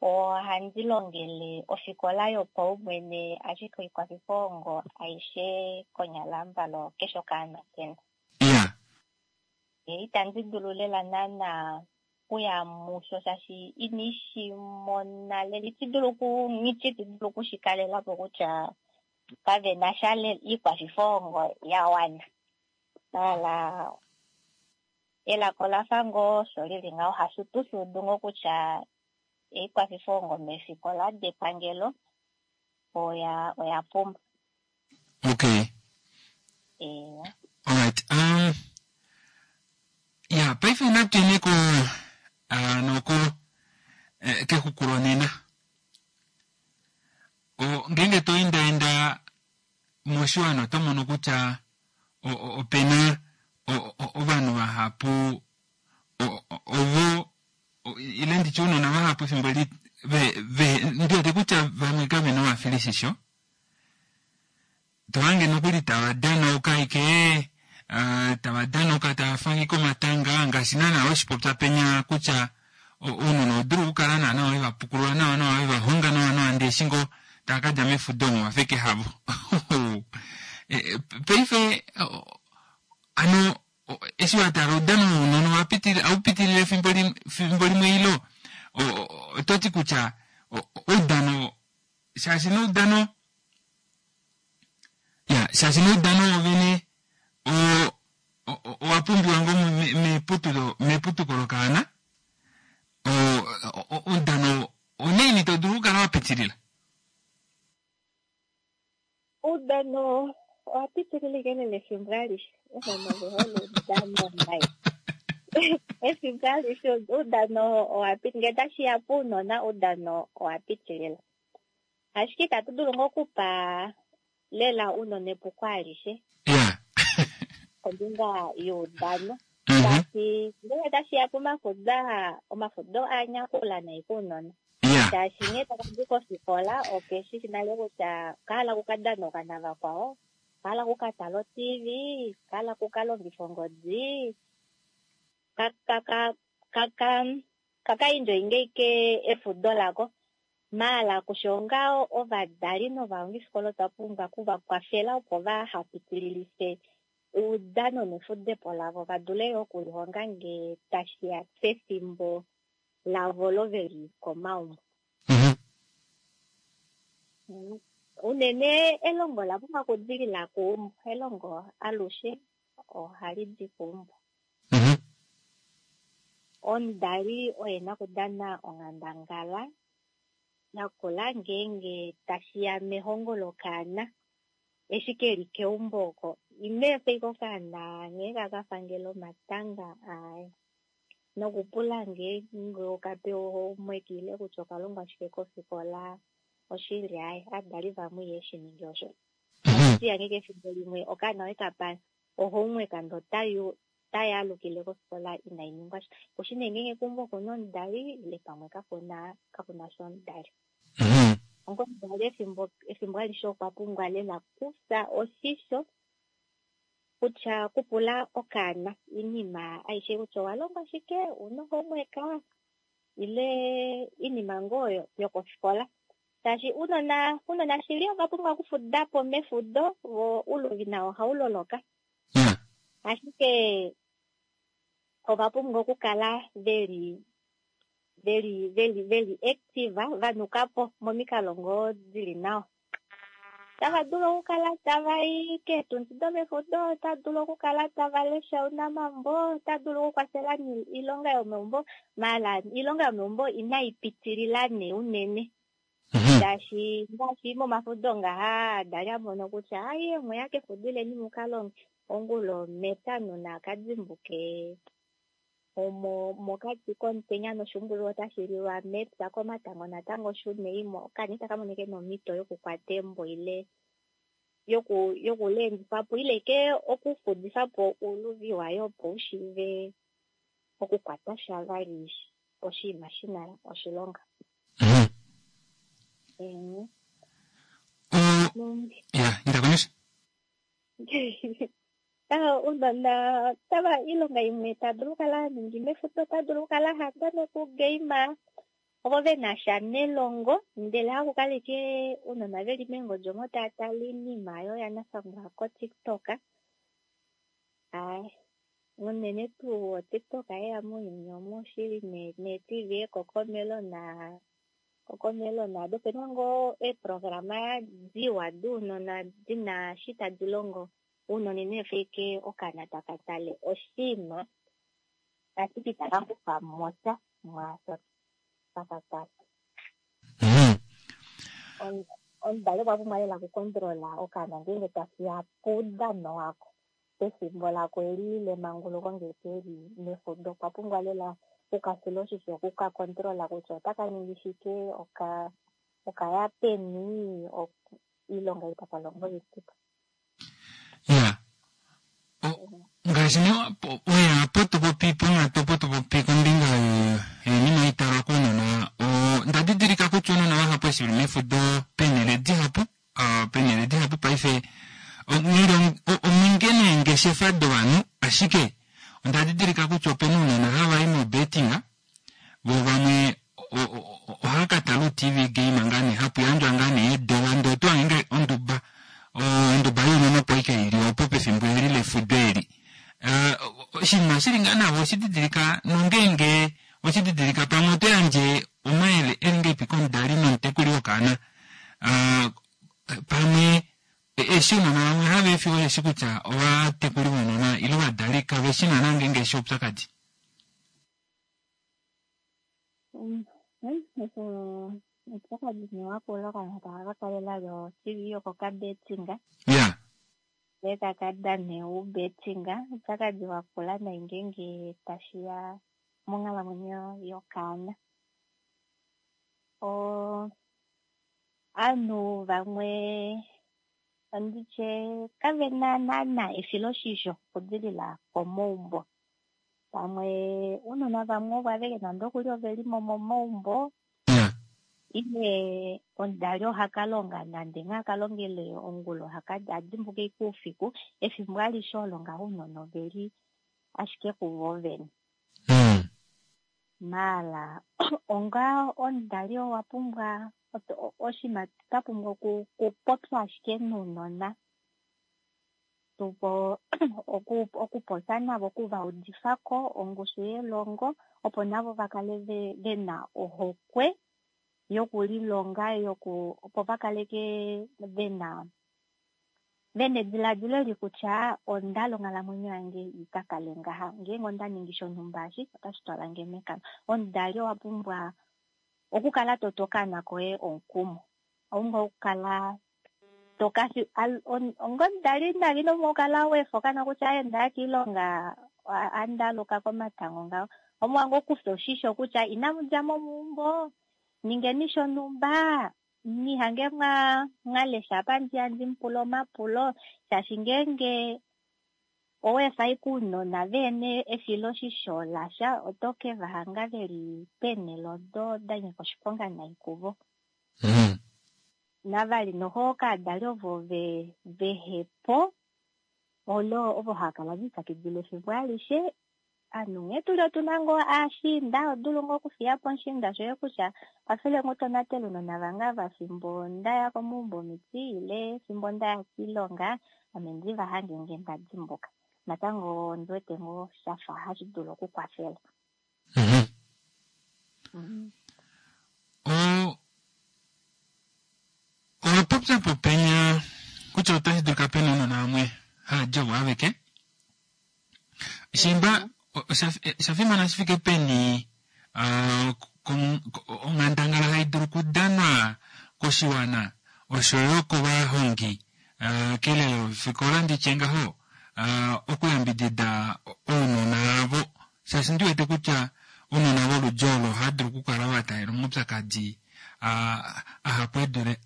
F: ohandi longele ofikola yopaumwene ashike oikwafifohongo aishe konyala mbalo keshe okaana kena. Itandi dulu lela naana okuya musho shaashi ina shi mona lela. Iti dulu oku nghi dulu oku shi kalela po kutya kave na sha iikwafifohongo ya wana. Maala elaka ola fa ngoo osho li li ngaho, hasho tu shi udu ngoo kutya Oikwafifohongo meefikola depangelo oya pumba.
A: Okay. Alright. Ya, paife natu yeni ko noko kexuku lonena. Ngeenge to endaenda moshiwana oto mono kutya opena ovanhu vahapu ovo ile nditye ounona vahapu efimbo eli ndiwete kutya vamwe kavena ovafilishisho. Tohange nokuli tava danauka ashike tava danauka tava fange omatanga ngaashi naana weshipopya penya kutya ounona oho dulu okukala naana we vapukulula nawa nawa we vahonga nawa nawa ndee eshi ngoo tava kadja mefudo omo vafeke havo. Paife hano eshi watala oudano wounona aupitilile efimbo limwe ilo ototi kutya oudano shaashi noudano ya shaashi noudano wovene owa pumbiwa ngoo meputuko lokaana oudano onaini to dulu okukala wapitilila?
F: Oudano owa pitilila ashike lela efimbo alishe. Ovanhu ove hole oudano nai. Efimbo alishe oudano owa pitilila. Ngee tashiya pounona oudano owa pitilila. Ashike itatu dulu ngoo okupa lela ounona epuko alishe kombinga youdano. Shaashi ngenge tashiya pomafudo aa, omafudo a nyakula nai kounona. Shaashi nghee taka di kofikola okeshi shi nale kutya okahala okukadanoka navakwao, okahala okukatala o-TV, okahala okukalongifa ongodi, kaka enjoyinge ashike efudo lako. Maala kusho onga ovadali novalongifikola otwa pumbwa okuvakwafela opo vahapitililife oudano nefudepo lavo va dule yo okulihonga ngee tashiya pefimbo lavo olo veli komaumbo. Unene elongo ola pumbwa okudilila keumbo. Elongo alushe ohali di keumbo. Omudali oye nakudana onghandangala yakula ngeenge tashiya mehongo lokaana eshi keli keumbo oko. Ino efa ashike okaana nghee kakafangele omatanga aye. Nokupula ngeenge okapewa homework ile kutya okalongwa shike kofikola oshili aye. Ovadali vamwe iheshi ningi osho. Ohashi ashike efimbo limwe okaana wekapa ohomework ndee otayaalukile kofikola inai ningwa sha. Kushi nee ngeenge keumbo okuna omudali ile pamwe kakuna sha omudali. Onga omudali efimbo alishe okwa pumbwa lela kufya oshisho kutya kupula okaana oinima aishe kutya owa longwa shike, ouna homework ile oinima ngoo yokofikola. Shaashi ounona shili ova pumbwa okufudapo mefudo vo ouluvi nao ohauloloka. Ashike ova pumbwa okukala veli active vanukapo momikalo ngoo dili nawa. Otava dulu okukala tava i keetundi domefudo, otava dulu okukala tava lesha ounamambo, otava dulu okukwafela oilonga yomeumbo. Maala oilonga yomeumbo inai pitilila nee unene. Shaashi ngaashi momafudo ngaha adali a mono kutya aye mweya kefudo ileni mukalonge ongula omepya nuna akadimbuke omo mokati komutenya noshuumbululwa otashi lilwa mepya komatango natango shuneimo okaana itaka mono ashike nomhito yokukwata embo ile yokuleendifapo ile ke okufudifapo ouluvi waye opo ushiive okukwata sha vali oshinima shina oshilonga.
A: Ya, inda komesho.
F: Ounona tava oilonga imwe ta dulu okukala haningi mefudo, ota dulu okukala hadana okugeima ovo vena sha nelongo ndele hakukala ashike ounona veli meengodi omo tava tale oinima oyo yanafangwa koTikTok. Unene tuu oTikTok yeya mounyuni omu oshili neeTV ekokomelo naado opena ngoo eeprograma diwa dounona dina eshi tadi longo. Ounona ino efa ashike okaana taka tale oshinima ashike itaka kufa mo sha mwaasho taka tale. Omudali okwa pumbwa lela okukondrola okaana ngeenge tashiya poudano wako pefimbo lako eli lemanguluko ngee keli mefudo, okwa pumbwa lela okukafila oshisho, okukakondrola kutya otaka ningi shike, okaya peni, oilonga ei taka longo oilipipo.
A: Ya ngaashi nee weya opo to popi ponghatu opo to popi kombinga yoinima italwa kounona, onda didilika kutya ounona vahapu eshi veli mefudo peenhele dihapu, peenhele dihapu paife ominge neengeshefa dovanhu, ashike onda didilika kutya opena ounona hava i mobetting, vo vamwe ohava ka tala u-TV game ngaa nee, hapu yandjwa ngaa nee eedola ndee oto hange nge onduba, onduba younona opo ashike ili opo pefimbo eli lefudo eli. Oshinima shili ngaa navo oshididilika nongeenge oshididilika pamwe oto yandje omayele eli ngahelipi komudali nomutekuli wokaana, pamwe eshi ounona vamwe hava efiwa osheshi kutya ovatekuli vounona ile ovadali kave shi naana ngeenge eshi oupyakadi.
F: Oupyakadi nee wakula okaana taka ka kalela yo-TV yokokabetting.
A: Ya.
F: Ndee taka dane oubetting. Oupyakadi wakula nai ngeenge tashiya monghalamwenyo yokaana. Ovanhu vamwe nditye kavena naana efiloshisho okudilila komaumbo. Pamwe ounona vamwe ovo aveke nande okuli ove li mo momaumbo, ile omudali oha ka longa nande nghee aka longele ongula oha ka dimbuka ashike oufiku, efimbo alishe olo ngaho ounona oveli ashike kuvo vene. Maala onga omudali owa pumbwa oshinima twa pumbwa okupopya ashike nounona, okupopya navo, okuvaudifako ongushu yelongo opo navo vakale vena ohokwe yokulilonga, opo vakaleke vena ediladilo eli kutya onda onghalamwenyo yange ikakale ngaha, ngeenge onda ningi shonhumba eshi otashi twala nge mekano. Omudali owa pumbwa okukala toto okaana koye omukumo, owa pumbwa okukala ongomudali nali ino pumbwa okukala wefa okaana kutya aye ndaya kiilonga andaluka komatango ngaho, omuwa ngoo okufa oshisho kutya inamu dja mo meumbo, ningeni shonhumba, nihange mwalesha apa ndiya ndimupule omapulo, shaashi ngeenge oweefa ashike ounona vehena efiloshisho lasha oto ke vahanga veli peenhele odo da nyika oshiponga nai kuvo. Navali noho kaadali ovo vehepo olo ovo hava kala velipyakidila efimbo alishe. Ovanhu nghee tuli otuna ngoo aashiinda, odulu ngoo okufiya po omushiinda shoye kutya kwafele ngoo tonatele ounona vange ava fimbo ndaya komaumbo omiti ile fimbo ndaya kiilonga, ame ndi va hange ngee nda dimbuka. Natango ondi wete ngoo shafa hashi dulu okukwafela.
A: Owa popya po penya kutya otashi dulika pena ounona vamwe hava di ovo aveke. Shimba osha fimana shi fike peni onghandangala hai dulu okudanwa koshiwana oshoyo kovahongi kelelo lofikola nditye ngaho okuyambidida ounona avo, shaashi ndi wete kutya ounona voludi olo ohava dulu okukala va taalela omaupyakadi ahapu edule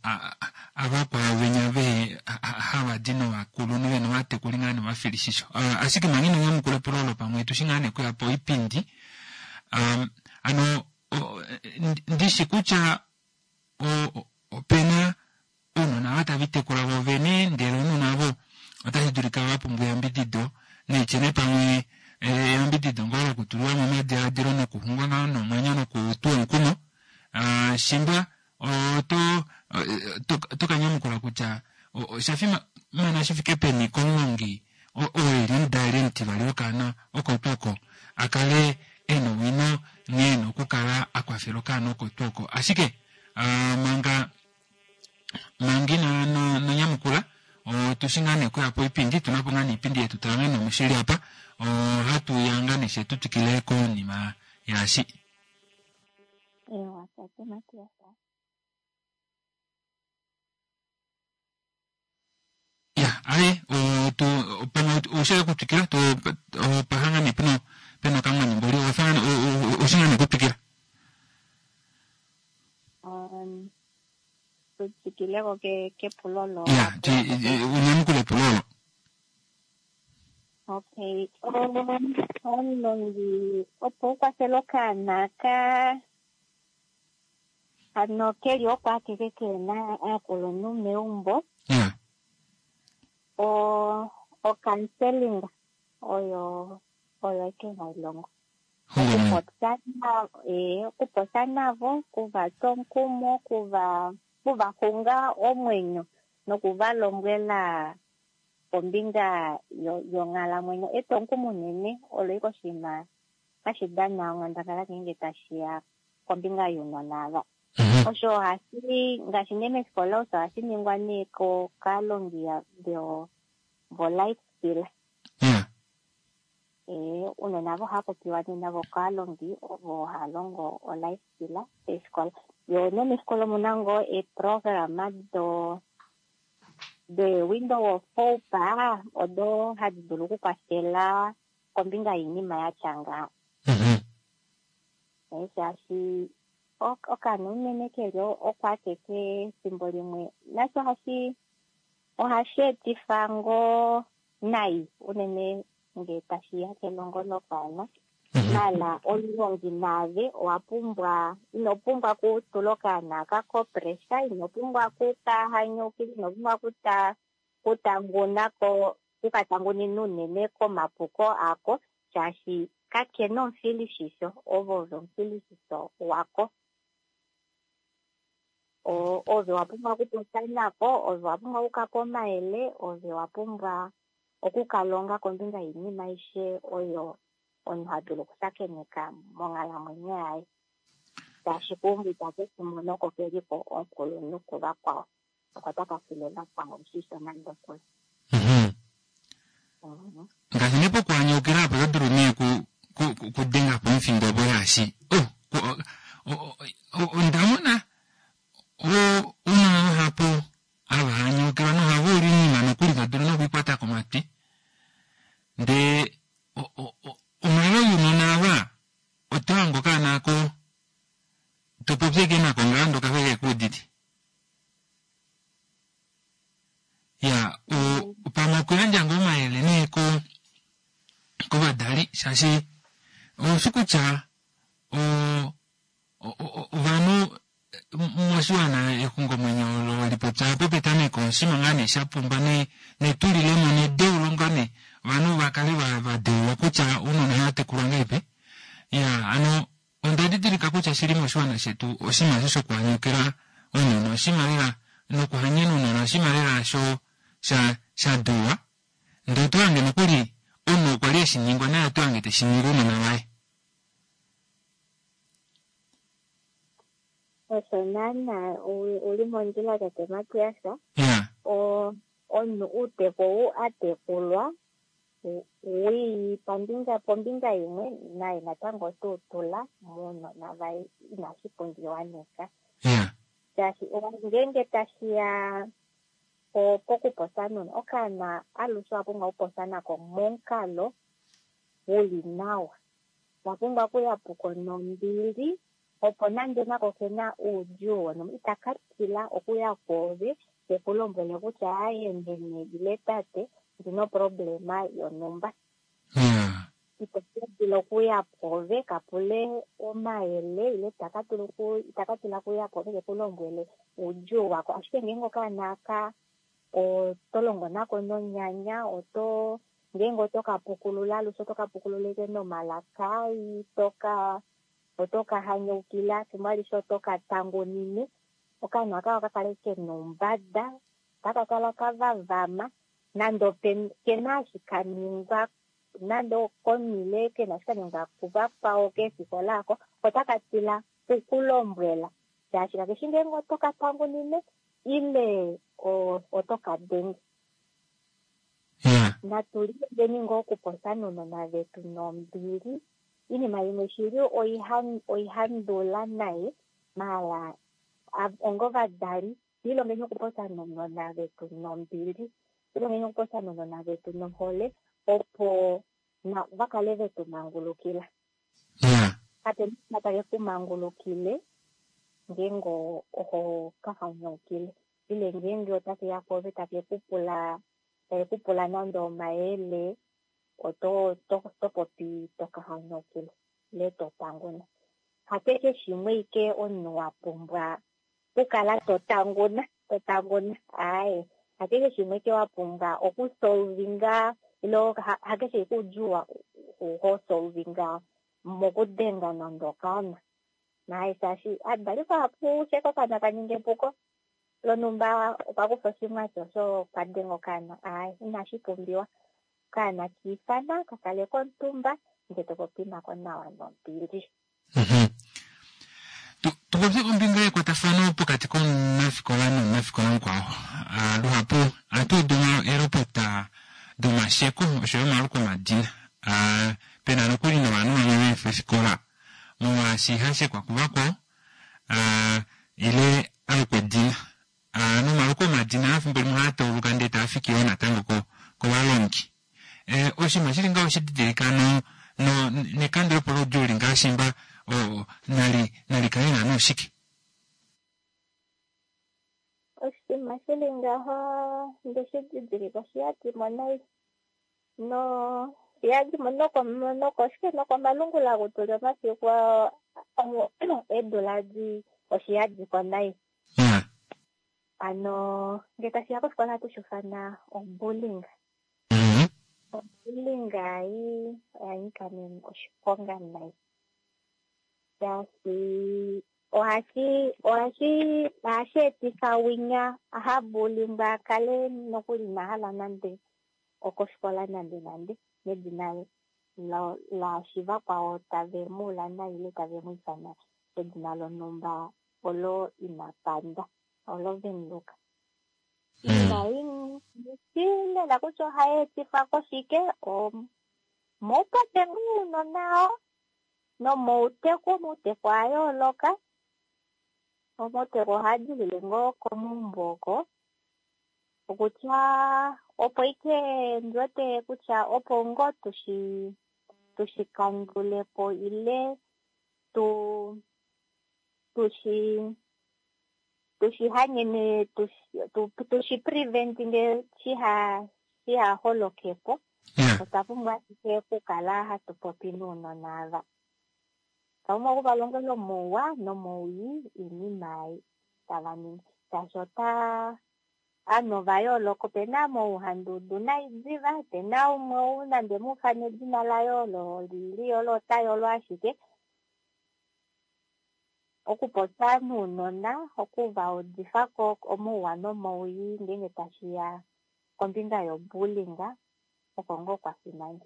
A: avakwao venya vehe hava di novakulunhu vena ovatekuli ngaa novafilishisho. Ashike manga ino nyamukula epulo olo pamwe tushi ngaa nee kuya po oipindi, hano ndishi kutya opena ounona ava tave litekula vo vene, ndele ounona avo otashi dulika va pumbwa eyambidido, naitye nee pamwe eyambidido ngoo lokutulwa momadiladilo nokuxungwa ngaho nomwenyo nokutuwa omukumo. Shimba oto ka nyamukula kutya osha fimana shi fike peni komulongi oo eli omudali omutivali wokaana oko tuu oko a kale e na owino nghee e na okukala a kwafela okaana oko tuu oko. Ashike manga ina nonyamukula otushi ngaa nee okuya po oipindi, tuna po ngaa nee oipindi yetu tala ngaa nee omushili apa, ohatu ya ngaa nee she tu twikile konima yaashi.
F: Ewa, tate Matias.
A: Aye tu pamwe oushele okutwikila tu opahanga nee pena pena okamwani mboli owafa oushi ngaa nee okutwikila.
F: Tu twikileko kepulo olo.
A: Ya, unyamukule epulo olo.
F: Okay, omulongi opo u kwafele okaana ka hano keli oko akeke kena aakulunhu meumbo. O o-counseling oyo oyo eke hailongo. Okupopya navo, okupopya navo, kuva twa omukumo, kuva kuva xunga omwenyo noku va lombwela kombinga yonghalamwenyo. Etwomukumo unene olo ike oshinima hashi dana onghandangala ngeenge tashiya kombinga younona ava. Osho ohashi ngaashi nee meefikola osho ohashi ningwa nee kaalongi vo life skill. Uunona avo ohava popiwa nee navo kaalongi ovo hava longo o life skill peefikola. Yo nee meefikola omuna ngoo eeprograma do de window of hope odo hadi dulu okukwafela kombinga yoinima yatya ngaha. Shaashi okaana unene keli oko akeke efimbo limwe nasho ohashi ohashi etifa ngoo nai unene ngee tashiya kelongo lokaana. Maala omulongi naave owa pumbwa ino pumbwa okutula okaana aka ko pressure, ino pumbwa okukahanyukila, ino pumbwa okutanguna ko okukatangunina unene komapuko ako shaashi kakena omufilishisho, ove ove omufilishisho wako. Ove wa pumbwa okupopya nako, ove wa pumbwa okukapa omayele, ove wa pumbwa okukalonga kombinga yoinima aishe oyo omunhu ha dulu okushakeneka monghalamwenyo yaye. Shaashi keumbo itake shi mono oko keliko omukulunhu kuvakwao, oko taka file vakwao oshisho nande okuli.
A: Ngaashi nee pokuhanyaukila apo oto dulu nee kudenga po omufindo opo shaashi onda mona ounona vahapu hava hanyaukilwa nohava uli oinima nokuli to dulu nokuikwata komatwi. Ndee onghalo younona ava oto hange okaana ako to popi ashike nako ngaho ndee okafa ashike kekuudite. Ya, pamwe okuyandja ngoo omayele nee kovadali shaashi oushi kutya ovanhu moshiwana exungomwenyo olo lipopya apo petameko oshinima ngaa nee shapumba netulilemo nedeulo ngaa nee ovanhu vakale vadeulwa kutya ounona ohava tekulwa ngahelipi. Ya, hano onda didilika kutya shili moshiwana shetu oshinima osho shokuhanyukila ounona oshinima lela nokuhanyena ounona oshinima lela shadulwa ndee oto hange nokuli omunhu okwa li eshiningwa naye oto hange teshiningi ounona vaye.
F: Osho naana uli mondjila tate Matias. Omunhu uuteku ou a tekulwa wii pambinga pombinga imwe naye natango ote utula mounona vaye inashi pumbiwa neka. Shaashi ngeenge tashiya pokupopya nomunhu, okaana alushe owa pumbwa okupopya nako momukalo uli nawa. Owa pumbwa okuya puko nombili opo nande nako kena oudjuu wonhumba itaka tila okuya kwoove teku lombwele kutya aaye meme ile tate ndina oproblema yonhumba. Ito dulu okuya pwoove kapule omayele ile itaka tila okuya pwoove keku lombwele oudjuu wako. Ashike ngeenge okaana aka oto longo nako nonyanya, oto ngeenge oto ka pukulula alushe oto ka pukulula ashike nomalaka ai, oto ka hanyaukila efimbo alishe oto ka tangunine, okaana aka oka kale kena oumbada, otaka kala kavavama nande kena eshi kaningwa nande okomile kena eshi kaningwa kuvakwao keefikola oko, otaka tila okukulombwela shaashi kakeshi ngeenge oto ka tangunine ile oto ka denge. Natu lilongeni ngoo okupopya nounona vetu nombili. Iinima imwe shili oihandula naye, maala onga ovadali tu ilongeni okupopya nounona vetu nombili. Tulongeni okupopya nounona vetu nohole opo va kale vetu mangulukila. Kape na take ku mangulukile ngeenge oho ka hanyaukile ile ngeenge otake ya kwoove take ku pula take ku pula nande omayele oto to popi to ka hanyaukile ile to tanguna. Hakeshe shimwe ike omunhu wa pumbwa okukala to tanguna to tanguna aaye hakeshe shimwe ike wa pumbwa okusolvinga ile hakeshe ike oudjuu ho solvinga mokudenga nande okaana. Naye shaashi adali vahapu sheko okaana kaninga epuko lonhumba okwa kufa oshimwati osho okwa denga okaana aaye inashi pumbiwa. Okaana kiifana kakale komutumba ndee topopi nako nawa nombili.
A: Tupopye kombinga yekwatafano pokati komunafikola nomunafikola mukwao. Luhapu ohatu udu eelopota domasheko oshoyo omaluko omadina. Pena nokuli novanhu vamwe veefa ofikola molwaashi hashekwa kuvakwao ile alukwa edina. Nomaluko omadina efimbo limwe ohaa tauluka ndee taafiki yoo natango kovalongi. Oshinima shili ngaho oshididilika nekandulepo loudjuu li ngaashi mba nali kale naana oshike?
F: Oshinima shili ngaho ndeshi didilika oshiyadimo nai no shiyadimo nokoshike nokomalungula kutuli omafiku eedula di oshiyadiko nai. Ano ngee tashiya kofikola ohatu shufana obullying. Obullying ei oya nyika oshiponga nai. Shaashi ohashi etifa winya ahabulingwa akale nokuli inahala nande okofikola nande nande nedina laashi vakwao tave muula nai ile tave mu ifana edina lonhumba olo ina panda olo vemuluka. Inai lela kutya ohai etifwa koshike moupate ounona oo nomouteku omauteku a yooloka. Omauteku ohaa dilile ngoo komaumbo oko okutya opo ike ndiwete kutya opo ngoo tushikandulepo ile tushihanyene tushipreventinge shihaholokepo. Otwa pumbwa ashike okukala hatu popi nounona ava. Otwa pumbwa okuvalongela omouwa nomowii oinima ei tava ningi. Shaashi ota ovanhu ova yooloka, opena mouhandudu nai diva, opena umwe ou nande muufane edina laye olo lili olo ota yolo ashike. Okupopya nounona, okuvaudifako omouwa nomowii ngeenge tashiya kombinga yobullying oko ngoo kwa fimana.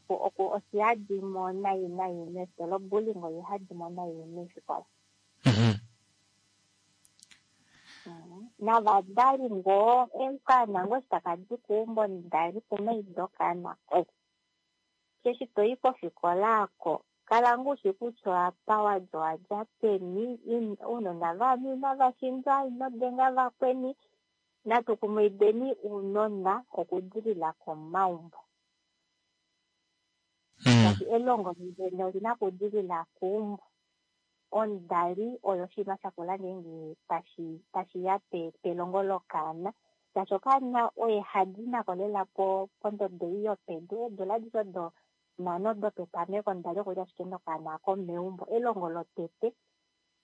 F: Oshihadimo nai nai meefikola, obullying oihadimo nai meefikola. Navadali ngoo okaana ngoo eshi taka di keumbo ndali kumaido okaana koye. Eshi toyi kofikola ako kala ngoo ushi kutya apa wadja owadja peni, ounona vanhu inava shindwa, ino denga vakweni. Natu kumaideni ounona okudilila komaumbo. Shaashi elongo lene olina okudilila keumbo. Omudali oyo oshinima shakula ngeenge tashiya pelongo lokaana. Shaashi okaana oye hadi nako lela pondodo ei yopedu, eedula adishe odo nhano dopetameko omudali okuli ashike nokaana ako meumbo. Elongo lotete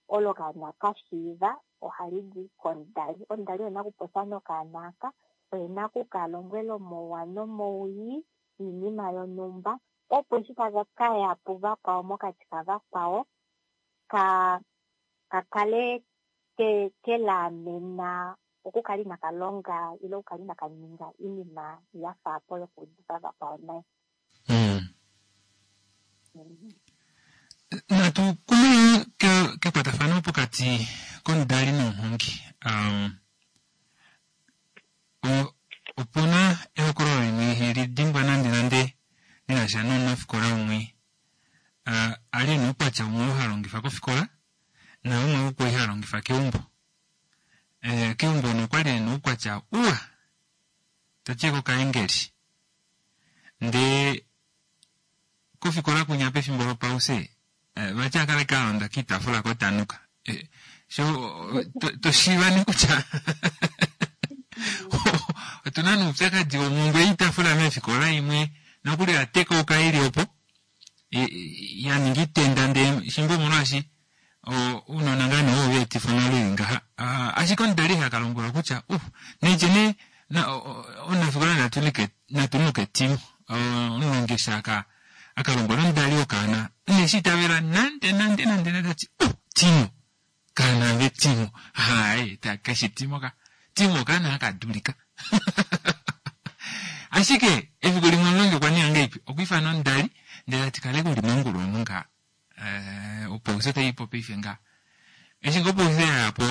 F: olo okaana kashiiva ohali di komudali. Omudali oyena okupopya nokaana aka, oyena okukalombwela omouwa nomowii oinima yonhumba opo eshi taka kaya puvakwao mokati kavakwao kakale kelaamena okukala inaka longa ile okukala inaka ninga oinima yafa apo yokuudifa vakwao nai.
A: Natu kume kekwatafano pokati komudali nomuhongi. Opuna ehokololo limwe iheli dimbwa nande nande linasha nomunafikola umwe ali ena oukwatya umwe oo ha longifa kofikola naumwe oo kwali ha longifa keumbo. Keumbo nokwali ena oukwatya Toti kokaengeli. Ndee kofikola kunya pefimbo lopause vati a kala a londa kiitafula kotanuka. Sho to shiiva nee kutya otu na noupyakadi womhumbwe yoitafula meefikola imwe nokuli oya tekauka ili opo ya ninga itenda ndee shimba omolwaashi ounona ngaa nee ovo va etifa onghalo ili ngaha. Ashike omudali ha ka lombwelwa kutya uh naitye nee omunafikola natu nuke timo. Omulongi eshi aka aka lombwela omudali wokaana ineshi itavela nande nande nande nande tati uh Timo kaana ve Timo aaye keshi Timo ka Timo okaana haka dulika ashike efiku limwe omulongi okwa ninga ngahelipi okwa ifana omudali ndele tati kale uli mongulu omu ngaha opausa otaiipo paife ngaha eshi ngoo opausa yayapo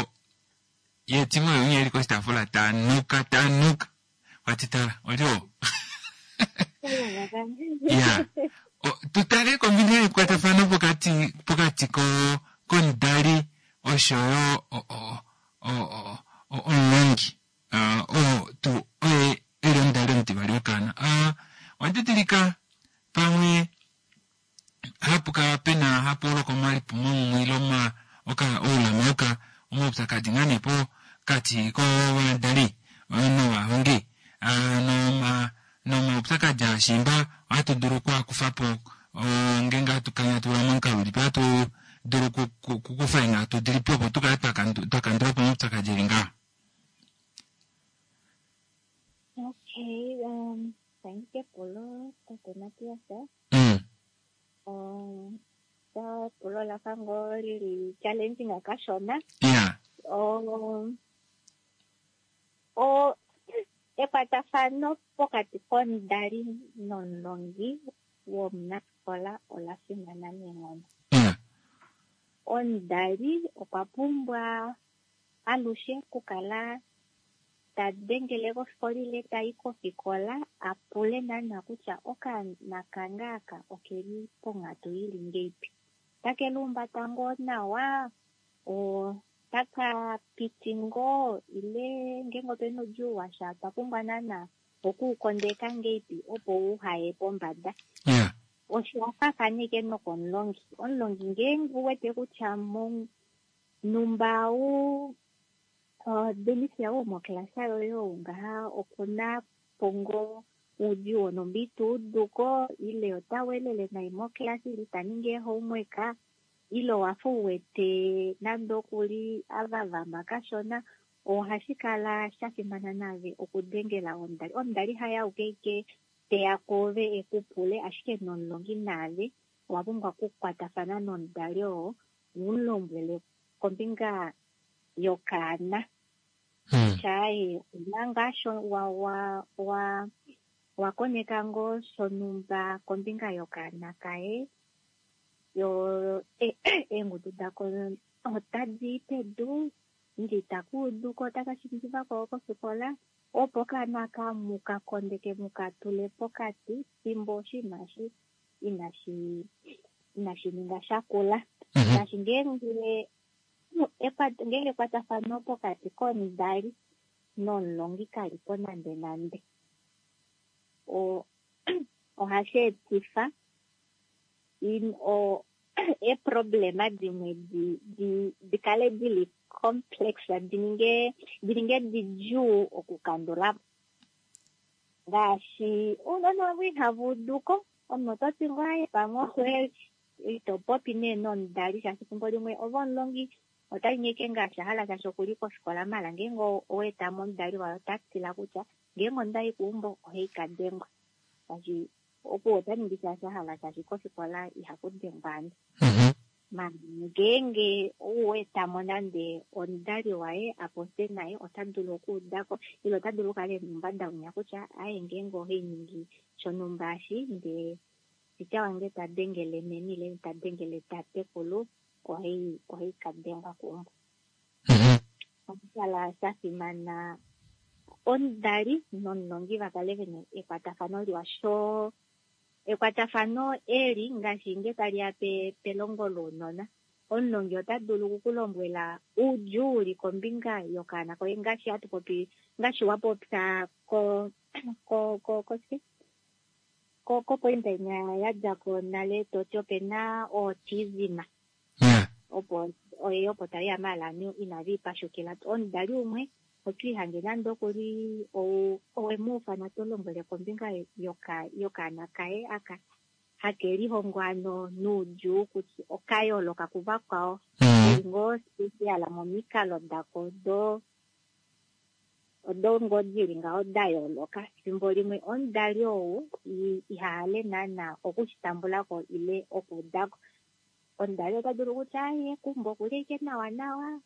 A: ye Timo oye eli koshitaafula tanuka tanuka wati tala oli oo ya tutale kombinga yekwatafano pokati pokati ko komudali oshoyo omulongi oo tuu oye eli omudali omutivali wokaana. Owa didilika pamwe hapu kala pena hapu holoka omalipumomumwe ile oulama oka omaupyakadi ngaa nee pokati kovadali novahongi nomaupyakadi aashimba ohatu dulu okuakufa po ngeenge hatu kanyatula momukalo ulipi ohatu dulu okukufa eenghatu dilipi opo tukale twakandula po omaupyakadi eli ngaha.
F: Okay, thank you kepulo tate Matias. Epulo la fa ngoo lili challenging kashona. Ekwatafano pokati komudali nomulongi womunafikola ola fimana neenghono. Omudali okwa pumbwa alushe okukala ta dengele kofikola ile tai kofikola a pule naana kutya okaana kange aka okeli ponghatu ili ngeipi. Otake lihumbata ngoo nawa, otaka piti ngoo ile ngeenge opena oudjuu washa otwa pumbwa naana okuukondeka ngeipi opo uhaye pombada. Osho osha ashike nokomulongi. Omulongi ngeenge uwete kutya monumba u Denisia womokilasa yoye ou ngaha okuna po ngoo oudjuu wonhumba ita uduko ile ota welele nai mokilasa ile ita ningi eehomework ile owafa uwete nande okuli avavama kashona, ohashi kala sha fimana naave okudengela omudali. Omudali haye auke ike teya kwoove eku pule, ashike nomulongi naave owa pumbwa okukwatafana nomudali oo u mu lombwele kombinga yokaana. Kutya aaye ouna ngaa wa koneka ngoo shonhumba kombinga yokaana kaye, yo eengudu dako otadi i pedu ile itaka uduko otaka shiivifa kofikola opo okaana aka muka kondeke muka tule pokati fimbo oshinima eshi inashi ninga shakula. Ngaashi ngeenge ekwatafano pokati komudali nomulongi kalipo nande nande, ohashi etifa eeproblema dimwe di kale dili complex, di ninge didjuu okukandula po. Ngaashi ounona ovo ihava uduko, omunhu oto ti ngoo aaye pamwe ito popi nee nomudali shaashi efimbo limwe ove omulongi ota ningi ashike ngaashi a hala shaashi okuli kofikola maala ngeenge owa etamo omudali waye ota tila kutya ngeenge ondayi keumbo ohai ka dengwa shaashi opuwo ota ningi shaashi a hala shaashi kofikola ihaku dengwa ovanhu. Maala ngeenge owa etamo nande omudali waye a popye naye ota dulu okuudako ile ota dulu okukala ena oumbada winya kutya aaye ngeenge ohai ningi shonhumba eshi ndee teacher wange ta dengele meme ile ta dengele tatekulu ohai ka dengwa keumbo. Ohashi kala sha fimana omudali nomulongi va kale vena ekwatafano liwa sho ekwatafano eli ngaashi nge taliya pelongo lounona, omulongi ota dulu oku ku lombwela oudjuu uli kombinga yokaana koye ngaashi hatu popi ngaashi wa popya koshike kopointa inya ya dja ko nale to ti ope na autism. Opo oye opo tali ya maala ovanhu inave ipashukila. Omudali umwe oto ihange nande okuli owe mu ufana to lombwele kombinga yokaana kaye aka hake lihongo ano noudjuu kutya oka yooloka kuvakwao. Keli ngoo special momikalo dako do odo ngoo dili ngaho da yooloka. Efimbo limwe omudali ou iha hale naana okushitambulako ile okuudako. Omudali ota dulu kutya aye kumbo okuli ashike nawa nawa,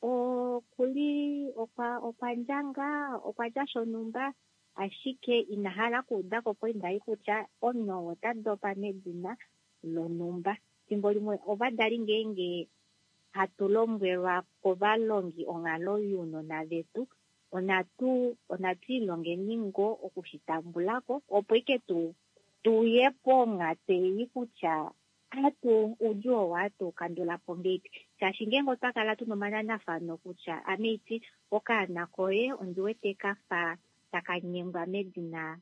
F: okuli okwa ndjanga, okwa tya shonhumba, ashike ina hala okuudako poinda ei kutya omunhu ou ota dopa medina lonhumba. Efimbo limwe ovadali ngeenge hatu lombwelwa kovalongi onghalo younona vetu, onatu ilongeni ngoo okushitambulako opo ike tuye ponghatu ei kutya atu oudjuu oo ohatu kandula po ngeipi. Shaashi ngeenge otwa kala tuna omananafano kutya ame iti okaana koye ondi wete kafa taka nyengwa medina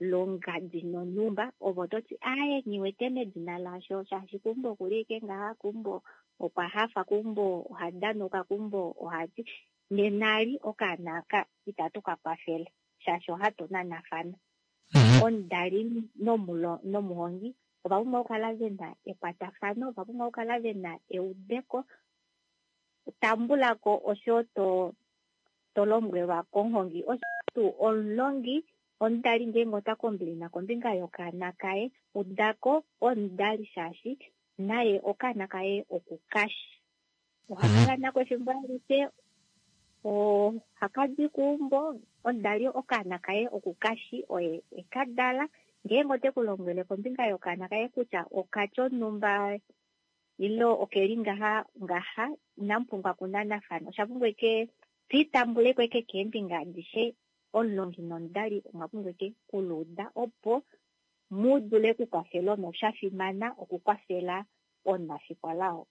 F: longadi nonhumba, ove oto ti aaye nghiwete medina lasho shaashi keumbo okuli ashike ngaha, keumbo okwa hafa, keumbo oha danuka, keumbo ohati nenali okaana aka itatu ka kwafele shaashi ohatu nanafana. Omudali nomuhongi ova pumbwa okukala ve na ekwatafano, ova pumbwa okukala ve na eudeko. Tambula ko osho to lombwelwa komuhongi. Osho tuu omulongi, omudali ngeenge ota kombilina kombinga yokaana kaye, udako omudali shaashi naye okaana kaye okukashi. Oha kala nako efimbo alishe, ohaka di keumbo, omudali okaana kaye okukashi oye eka dala. Ngeenge ote ku lombwele kombinga yokaana kaye kutya okatya onhumba ile okeli ngaha ngaha, inamu pumbwa okunanafana. Osha pumbwa eke twitambuleko eke keembinga adishe, omulongi nomudali omwa pumbwa eke kuluuda opo mu dule okukwafela omunhu. Osha fimana okukwafela omunafikola oo.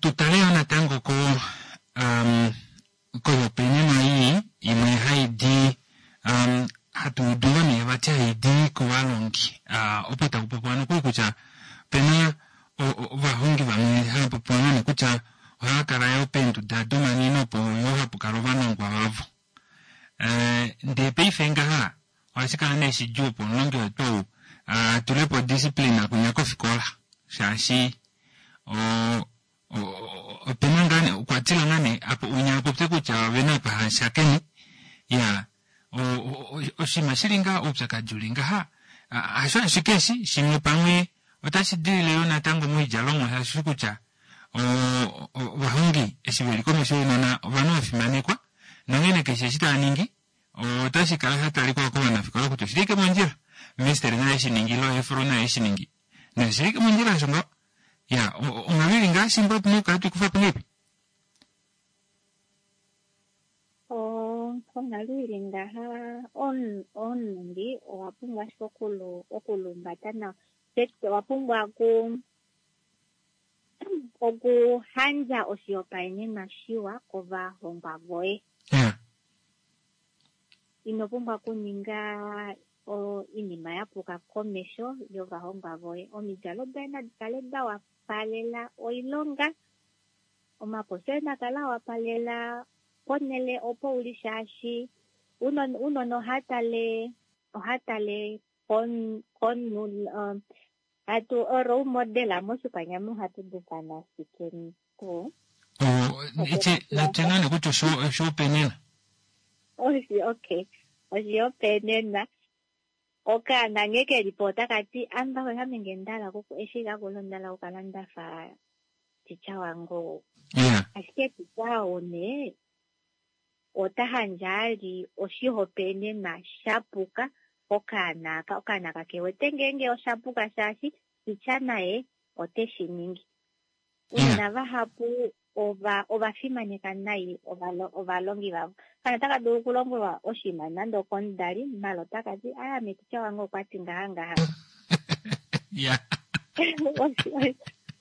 A: Tutale yo natango ko koihopaenenwa ii imwe hai di hatu udu ngoo nee vati hai di kovalongi opo taku popiwa nokuli kutya opena ovahongi vamwe hava popiwa ngoo nee kutya ohava kala yo peenduda domanwino opo yo hapu kala ovanongwa vavo. Ndee paife ngaha ohashi kala nee shidjuu opo omulongi wetu ou a tule po discipline kunya kofikola shaashi opena ngaa nee okwa tila ngaa nee apo unya apopye kutya ovena apa hashakene ya oshinima shili ngaa oupyakadi uli ngaha hasho ashike eshi shimwe pamwe otashi dilile yo natango moidjalomwa shaashi kutya ovahongi eshi veli komesho younona ovanhu vafimanekwa nonghene keshe eshi tava ningi otashi kala sha talikwa kovanafikola kutya oshili ike mondjila minister naye eshi ningi ile efro naye eshi ningi noshili ike mondjila osho ngaho ya onghalo ili ngaa shimba otuna okukala tuikufa po ngeipi?
F: Onghalo ili ngaha omulongi owa pumbwa ashike okulumbata nawa. Tete owa pumbwa okuhandja oshihopaenenwa shiwa kovahongwa voye. Ino pumbwa okuninga oinima ya puka komesho yovahongwa voye. Omidjalo doye nadi kale da wapalela oilonga, omaposi oye na kale a wapalela ponhele opo uli shaashi ounona oha tale komunhu hatu role model moshikwanyama ohatu dufana shike tuu.
A: Natye ngaa nee kutya oshihopaenenwa.
F: Okay, oshihopaenenwa okaana nghee keli po otaka ti amba ame ngee ndahala eshi kakula onda hala okukala ndafa ticha wange ou. Ashike ticha ou nee ota handja ali oshihopaenenwa shapuka okaana aka. Okaana kakewete ngeenge oshapuka shaashi ticha naye ote shi ningi. Ounona vahapu ova fimaneka nai ovalongi vavo. Kana otaka dulu okulombwelwa oshinima nande okomudali, mala otaka ti ame ticha wange okwa ti ngaha ngaha.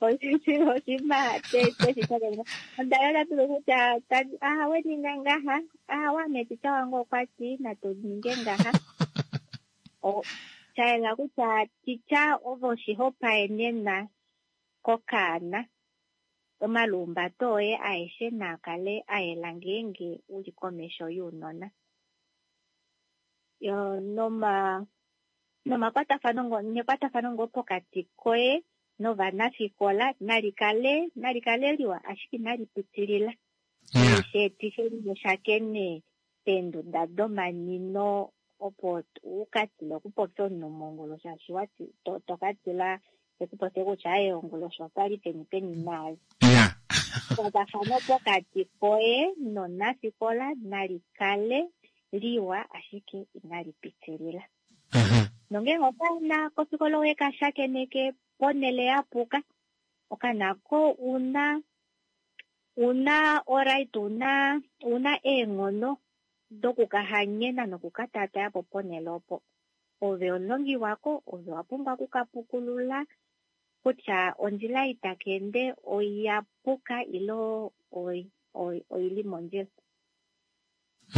F: Oshinima tweshi shakeneka. Omudali ota dulu kutya ahawe ninga ngaha, ahawe ame ticha wange okwa ti natu ninge ngaha. Sha yela kutya ticha ove oshihopaenenwa kokaana. Omalumbato oye aeshe naa kale a yela ngeenge u li komesho younona. Yo nomakwatafano nekwatafano ngoo pokati koye novanafikola nali kale liwa, ashike inali pitilila. Sheetife mushakene peenduda domanino opo u ka tile okupopya omunhu mongulu, shaashi wati to ka tila ekupopye kutya aye ongulu osho otwali peni peni naale. Ekwatafano pokati koye nonafikola nali kale liwa, ashike inali pitilila. Nongeenge okaana kofikola owe ka shakeneke ponele ya puka, okaana ko una oright, una eenghono dokukahanyena nokukataataya po ponele opo. Ove omulongi wako, ove wa pumbwa okukapukulula kutya ondjila itaka ende oya puka ile oili mondjila.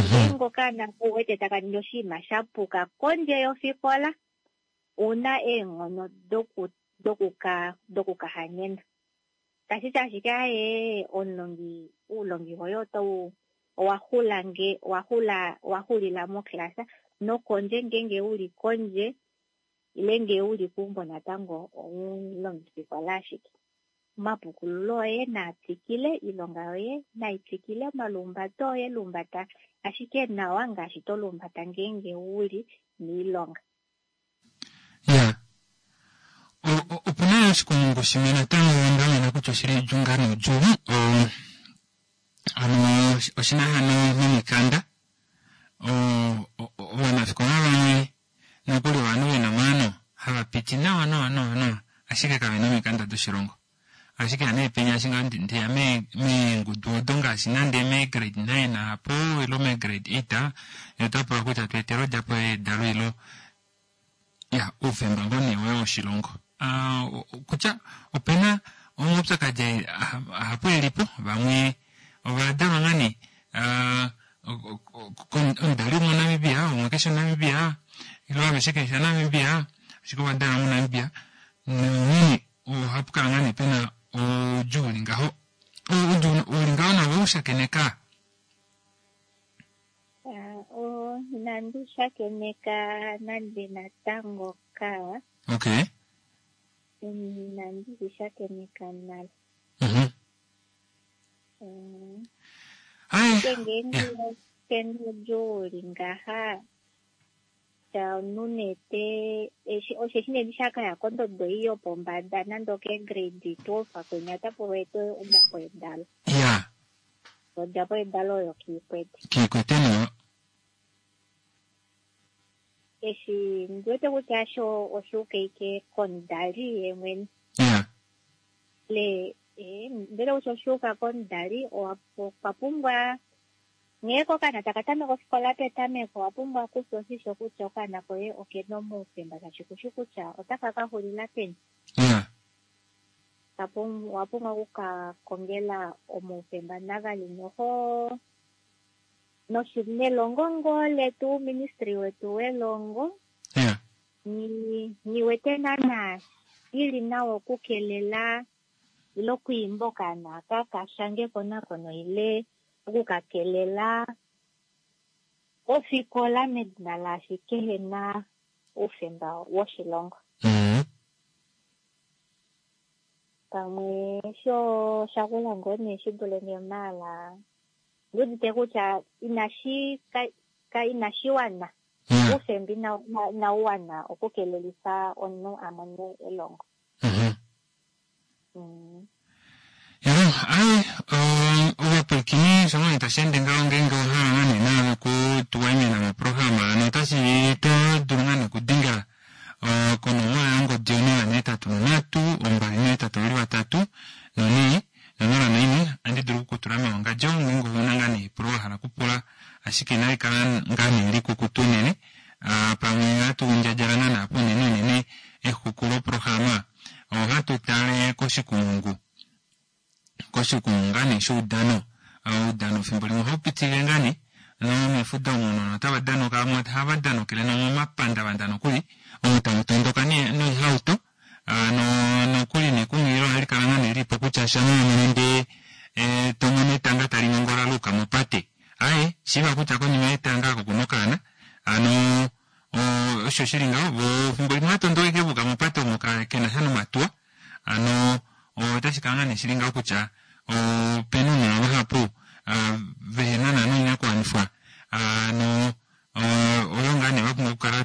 F: Ngeenge okaana ou wete taka ningi oshinima sha puka kondje yofikola, una eenghono dokukahanyena. Tashi ti ashike aye omulongi, oulongi woye otau owa xulila moklasa nokondje ngeenge uli kondje ile ngee uli keumbo natango omulongifikola ashike. Omapukululo oye naa twikile, ilonga yoye nai twikile, omalumbato oye lumbata ashike nawa ngaashi to lumbata ngeenge uli miilonga.
A: Ya. Opuna oshikumungu shimwe natango nda mona kutya oshili odjuu noudjuu. Ano oshina hano nomikanda. Ovanafikola vamwe nokuli ovanhu vena omaano hava piti nawa nawa nawa nawa, ashike kavena omikanda doshilongo. Ashike hano epenya eshi ngaho ndeya meengudu odo ngaashi nande me grade 9 apo ilo me grade 8, ota pula kutya tu etele odjapo yedalo ilo ya oufemba ngoo nee woye woshilongo. Kutya opena omaupyakadi ahapu elipo, vamwe ovadalwa ngaa nee omudali womoNamibia, umwe keshi omuNamibia, ilo aveshe keshi ovaNamibia, ashike ovadalwa moNamibia. Nonghene ohapu kala ngaa nee pena oudjuu uli ngaho. Oudjuu uli ngaho nawo oushakeneka?
F: Inandi shakeneka nande natango ka.
A: Okay.
F: Inandi shakeneka nale. Ngeenge pena oudjuu uli ngaha, omunhu osheshi nee shakaya kondodo ei yopombada nande oke grade 12 kwenya ota pulwa ete odjapo yedalo.
A: Ya.
F: Odjapo yedalo oyo kiikwete.
A: Kiikwete nayo.
F: Eshi ndiwete kutya sho oshuuka ike komudali ye mwene.
A: Ya.
F: Le ndele kutya oshuuka komudali okwa pumbwa nghee okaana taka tameka ofikola petameko, owa pumbwa okufya oshisho kutya okaana koye okena omaufemba, shaashi kushi kutya otaka ka xulila peni.
A: Ya.
F: Owa pumbwa okukakongela omaufemba navali noho nelongo ngoo letu, uuministry wetu welongo.
A: Ya.
F: Nghiwete naana ili nawa okukelela ile okwiimba okaana aka kashange ekonakono ile okukakelela ofikola medina laashi kehena oufemba woshilongo. Pamwe sho shakula ngoo nee shi dule nge maala ndiudite kutya inashi wana. Oufemba inau wana okukelelifa omunhu a mone elongo.
A: Aye, ovapwilikini sho tashi ende ngaho ngeenge owahala ngaa nee naave kutuwaimina moprograma ano otashi to dulu ngaa nee okudengela konomola yongodi 083 283 4 01 andi dulu okukutula mewangadjo ngeenge ouna ngaa nee epulo wahala okupula, ashike inali kala ngaa nee likukutu unene, pamwe hatu ndjadjala ngaa naapo unene unene exuku loprograma. Ohatu tale koshikumungu koshikumungu ngaa nee shoudano. Oudano fimbo limwe ohau pitilile ngaa nee nomefudo omu ounona otava danuka vamwe ohava danukile nomomapandavanda nokuli omu tamu tondoka noihauto nokuli nekunghililo ohali kala ngaa nee lilipo kutya shamha wa mono ndee to mono etanga tali nongola la yuka mopate aaye shiiva kutya konima yetanga oko kuna okaana hano osho shili ngaho voo fimbo limwe ohava tondoka ashike va yuka mopate omo kenasha nomatuwa hano otashi kala ngaa nee shili ngaho kutya opena ounona vahapu vehena naana oinakuwanifwa hano oyo ngaa nee vapumbwa okukala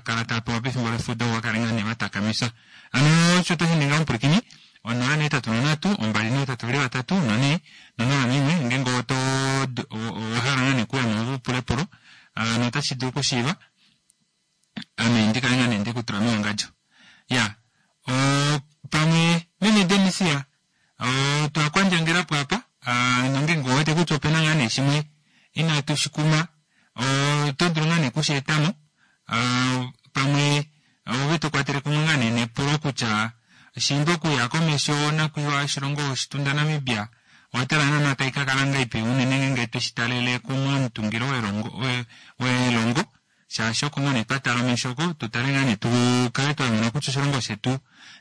A: kala tava pewa pefimbo lefudo opo vakale ngaa nee vatakamifa. Hano osho otashi ningi omupwilikini 083 283 4 041 ngeenge oto owahala ngaa nee okuya mo upule epulo hano otashi dulu okushiiva ame ndikale ngaa nee ndekutula mewangadjo. Iyaa pamwe meme Denisia otwa kwandjangelapo apa nongeenge ouwete kutya opena ngaa nee shimwe inatu shikuma oto dulu ngaa nee okusheetamo pamwe ove tokwatele kumwe ngaa nee nepulo kutya shiimba okuya komesho onakwiiwa yoshilongo oshitunda Namibia owatala naana taikakala ngahelipi unene ngeenge tweshitalele komutungilo welongo shaashi oko ngaa nee twatala omesho oko tutale ngaa nee tukale twamona kutya oshilongo shetu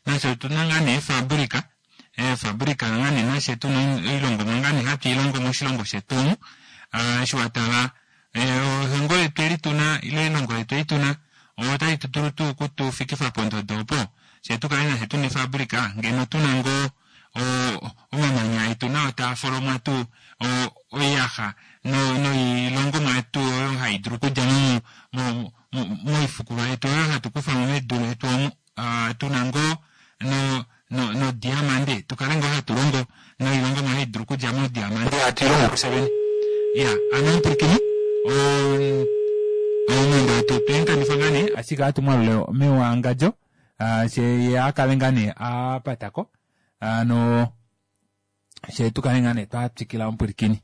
A: nasho otuna ngaa nee eefabrika eefabrika ngaa nee nashe tuna oilongomwa ngaa nee hatu ilongo moshilongo shetu omu eshi watala elongo letu eli tuna ile elongo letu eli tuna otali dulu tuu okutufikifa pondodo opo fyee tukale nafye tuna eefabrika ngeno tuna ngoo omamanya etu nao taa folomwa tuu oiyaxa noilongomwa yetu oyo haidulu okudja moifukulwa yetu oyo hatu kufamo medu letu omu tuna ngoo nodiamande tukale ngoo hatu longo noilongomwa haidulu okudja modiamande hatu ilongo kufye vene. Iya hano omupwilikini omweenda wetu otwemukanifa ngaa nee ashike ohatu mwalula mewangadjo fyee yee akale ngaa nee apatako hano fyee tukale ngaa nee twatwikila omupwilikini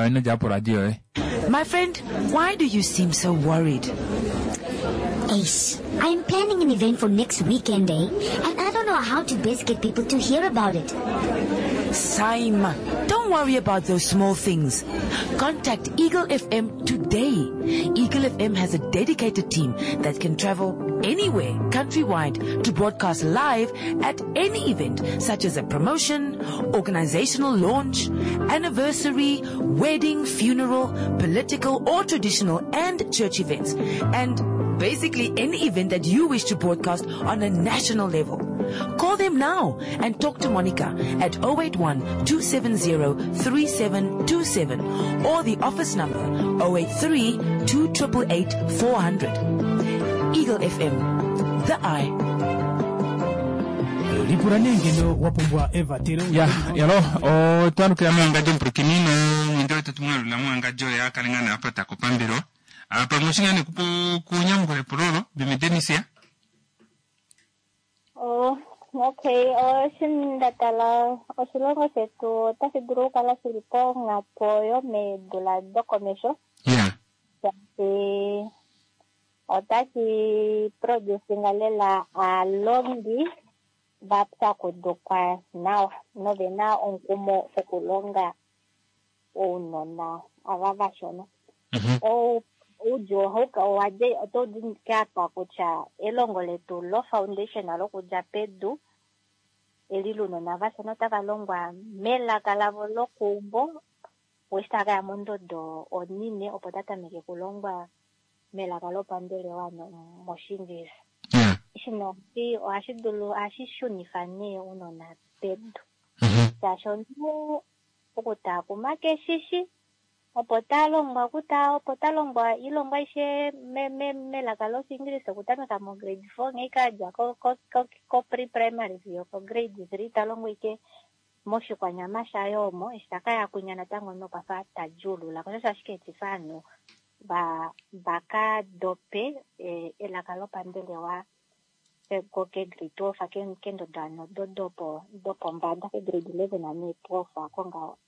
A: ino djapo poradio yoye.
G: My friend, why do you seem so worried?
H: Ace, I am planning an event for next weekend, eh? And I don't know how to best get people to hear about it.
G: Saima, don't worry about those small things. Contact Eagle FM today. Eagle FM has a dedicated team that can travel anywhere countrywide to broadcast live at any event, such as a promotion, organizational launch, anniversary, wedding, funeral, political or traditional and church events, and basically any event that you wish to broadcast on a national level. Call them now and talk to Monica at 081 270 3727 or the office number 083 2888 400. Eagle FM, the eye.
B: Lipula nee ngeno wa pumbwa evatelo.
A: Ya, yalo, otwalukila mewangadjo omupwilikini nomwenda wetu tumwalula mewangadjo oye akale ngaa nee apatako pambelewa. Pamwe oushi ngaa nee kunyamukula epulo olo, meme Denisia?
F: Oh, okay, eshi nda tala oshilongo shetu otashi dulu okukala shili ponhapo yomeedula dokomesho. Shaashi otashi producinga lela aalongi va pyakudukwa nawa nove na omukumo wokulonga ounona ava vashona. Oudjuu ohau otau di apa kutya elongo letu lofoundation lokudja pedu eli lounona vashona otava longwa melaka lavo lokeumbo eshi tava kaya mondodo onine opo ta tameke okulongwa melaka lopambelewa mOshiingilisa. Eshi nee ohashi dulu ohashi shunifa nee ounona pedu. Shaashi omunhu okutaakuma keshishi opo ta longwa opo ta longwa oilongwa aishe melaka lOshiingilisa okutameka mograde four nghee ashike adja ko pre-primary fiyo kograde three ta longwa ashike moshikwanyama shaye omo eshi ta kaya kwinya natango nokwafa ta djuulula ko osho ashike etifa ovanhu vaka dope elaka lopambelewa kegrade 12 kendodo hano dopombada kegrade 11 nee 12 ako ngaho.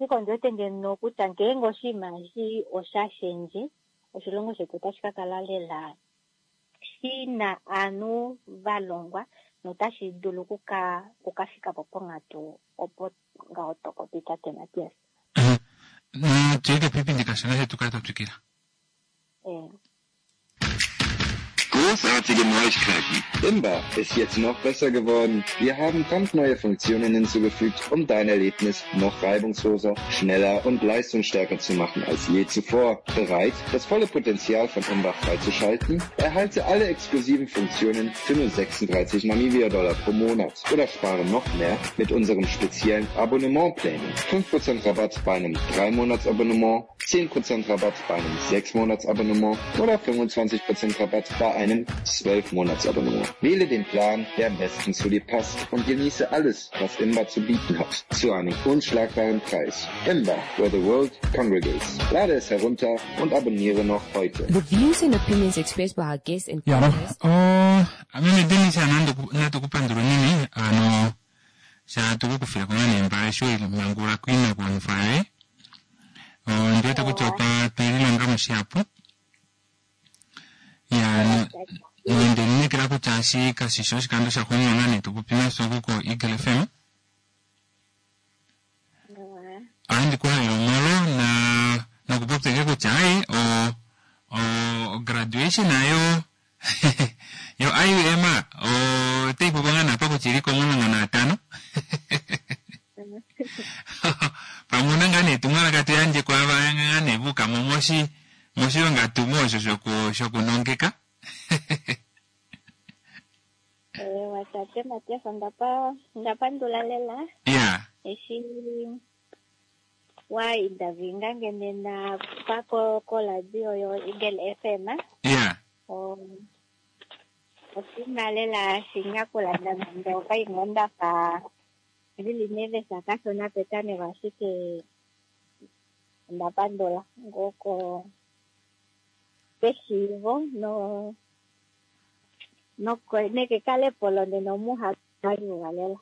F: Ashike ondi wete ngeno kutya ngeenge oshinima eshi osha shendje, oshilongo shetu otashi ka kala lela shi na ovanhu va longwa Notashi dulu okuka fika po ponghatu opo ngaho to popi tate Matias.
A: Natu ye kepipi kashona fye tu kale twa twikila.
I: Großartige Neuigkeiten. Imba ist jetzt noch besser geworden. Wir haben brandneue Funktionen hinzugefügt, um dein Erlebnis noch reibungsloser, schneller und leistungsstärker zu machen als je zuvor. Bereit, das volle Potenzial von Imba freizuschalten? Erhalte alle exklusiven Funktionen für nur 36 Namibia-Dollar pro Monat oder spare noch mehr mit unserem speziellen Abonnementplänen. 5% Rabatt bei einem 3-Monats-Abonnement, 10% Rabatt bei einem 6-Monats-Abonnement oder 25% Rabatt bei einem 12-Monats-Abonnement. Wähle den Plan, der am besten zu dir passt und genieße alles, was Imba zu bieten hat, zu einem unschlagbaren Preis. Imba, where the world congregates. Lade es herunter und abonniere noch heute.
J: The views and opinions expressed by our guests and
A: Ya,
J: callers
A: oh, meme Dennis natu kupandula unene ano sha tukukufila ko ngaa nembala eshi welimangulula koinakuwanifwa yoye. Ondiwete kutya otwa twelilonga mo shihapu. Ya, nonde lineekela kutya eshi kashishi oshikando shaxuuninwa ngaa nee topopi nafye oku ko Eagle FM. Ohandi ku halele omolo na nokupopya ashike kutya ai o o graduation yo yo IUM otai popiwa ngaa nee apa kutya ili ko15. Pamwe una ngaa nee etumwalaka toyandje kwaava ngaa nee va ukamo moshi moshilonga tumo osho shoku shokunongeka.
F: Ewa tate Matias, onda pandula lela eshi wa interview nge nena pa koradio yo Eagle FM. Oshinima lela shinyakula nande okaimwe ndafa ndili nervous kashona petameko, ashike onda pandula ngoko keshiivo no nekekalepo lonena omuhaliwa lela.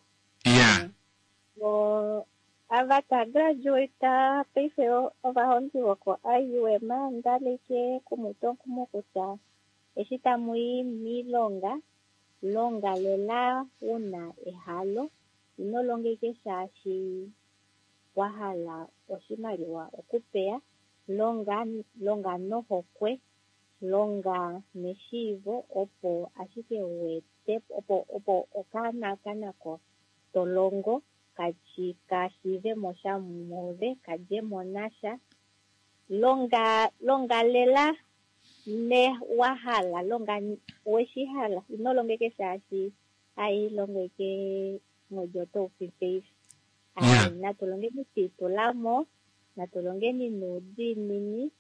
F: Ava ta graduate paife ovahongi voko IUM ndaleke kumutwa omukumo kutya eshi tamu i miilonga longa lela una ehalo, ino longa ashike shaashi wa hala oshimaliwa okupeya, longa longa nohokwe, longa neshiivo opo ashike uete opo okaana kanako to longo ka shiive mo sha muove, kadje mo nasha. Longa longa lela ne wa hala, longa weshi hala, ino longa ashike shaashi ai longa ashike mwedi oto ufi paife. Ai natu longeni twiitulamo, natu longeni nuudiinini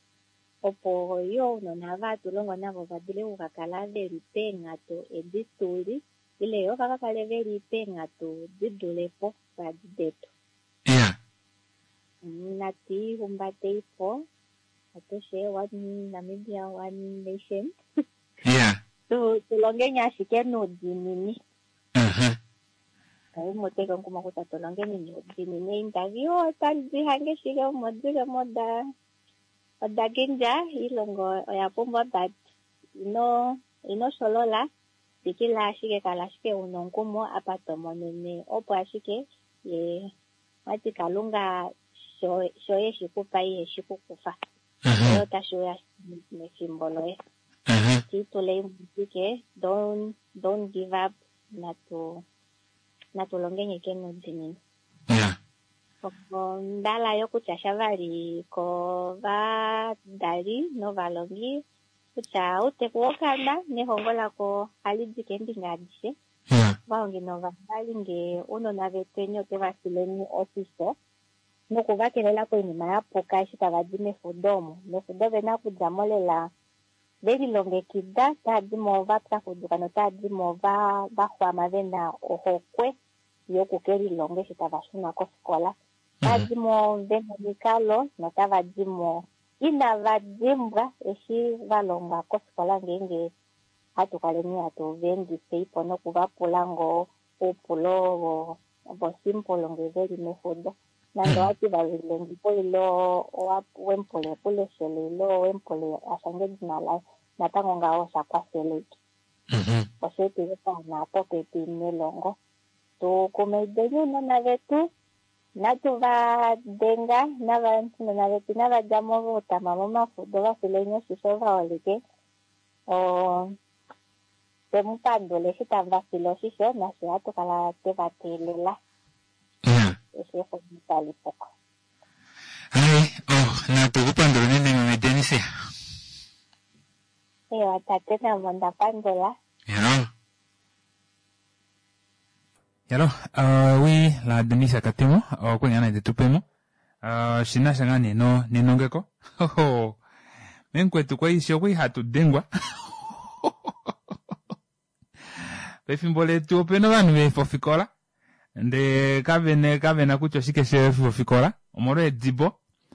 F: opo yo ounona ava hatu longo navo va dule okukakala veli peenghatu edi tuli ile yo va kakale veli peenghatu di dulepo padi detu. Natu ihumbateipo atushe, one Namibia, one nation. Tulongeni ashike nuudiinini. Kaimuteke omukumo kutya tulongeni nuudiinini. Interview otadi hange shike omo dile mo oda kindja, iilongo oya pumbwa, but ino sholola, twikila ashike, kala ashike una omukumo apa to monene opo ashike ye wati Kalunga sho eshi kupa iheshi kukufa. Yo otashi uya mefimbo loye. Tiitulei ashike, don't give up, natu longeni ashike nuudiinini. Ondala yo kutya shavali kovadali novalongi kutya outeku wokaana nehongo lako ohali di keembinga adishe. Ovahongi novadali nge ounona vetweni oteva fileni oshisho nokuvakelela koinima ya puka eshi tava di mefudo omo. Mefudo vena okudja mo lela velilongekida, tava di mo va pyakuduka notava di mo va xwama vena ohokwe yoku kelilonga eshi tava shuna kofikola. Tava di mo vena omikalo notava di mo inava dimbwa eshi va longwa kofikola ngeenge hatu kaleni hatu va endifeipo nokuvapula ngoo oupulo vo simple nge veli mefudo. Nande owati va lilongipo ile wemupule ekuleshelo ile wemupule ashange edina laye, natango ngaho osha kwafela ashike. Osheetile paana popepi nelongo. Tu kumaideni ounona vetu, natu va denga, ounona vetu inava dja mo voutama momafudo, va fileni oshisho vaholike. Twe mu pandula eshi tamu va file oshisho, nafye ohatu kala twe va teelela eshi exumo tali puko.
A: Hai, oh, natu ku pandula unene meme Denise.
F: Ewa tate namo nda pandula.
A: Hello. Hello, wi la Denise Katemo, okwe nga nande tupemo. Shi na sha ngaa nee no nenongeko. Hoho. Memukwetu kwai shi okwai hatu dengwa. Pefimbo letu opena ovanhu veefa ofikola ndee kavene kavena kutya oshike sheefa ofikola omolwa eedibo.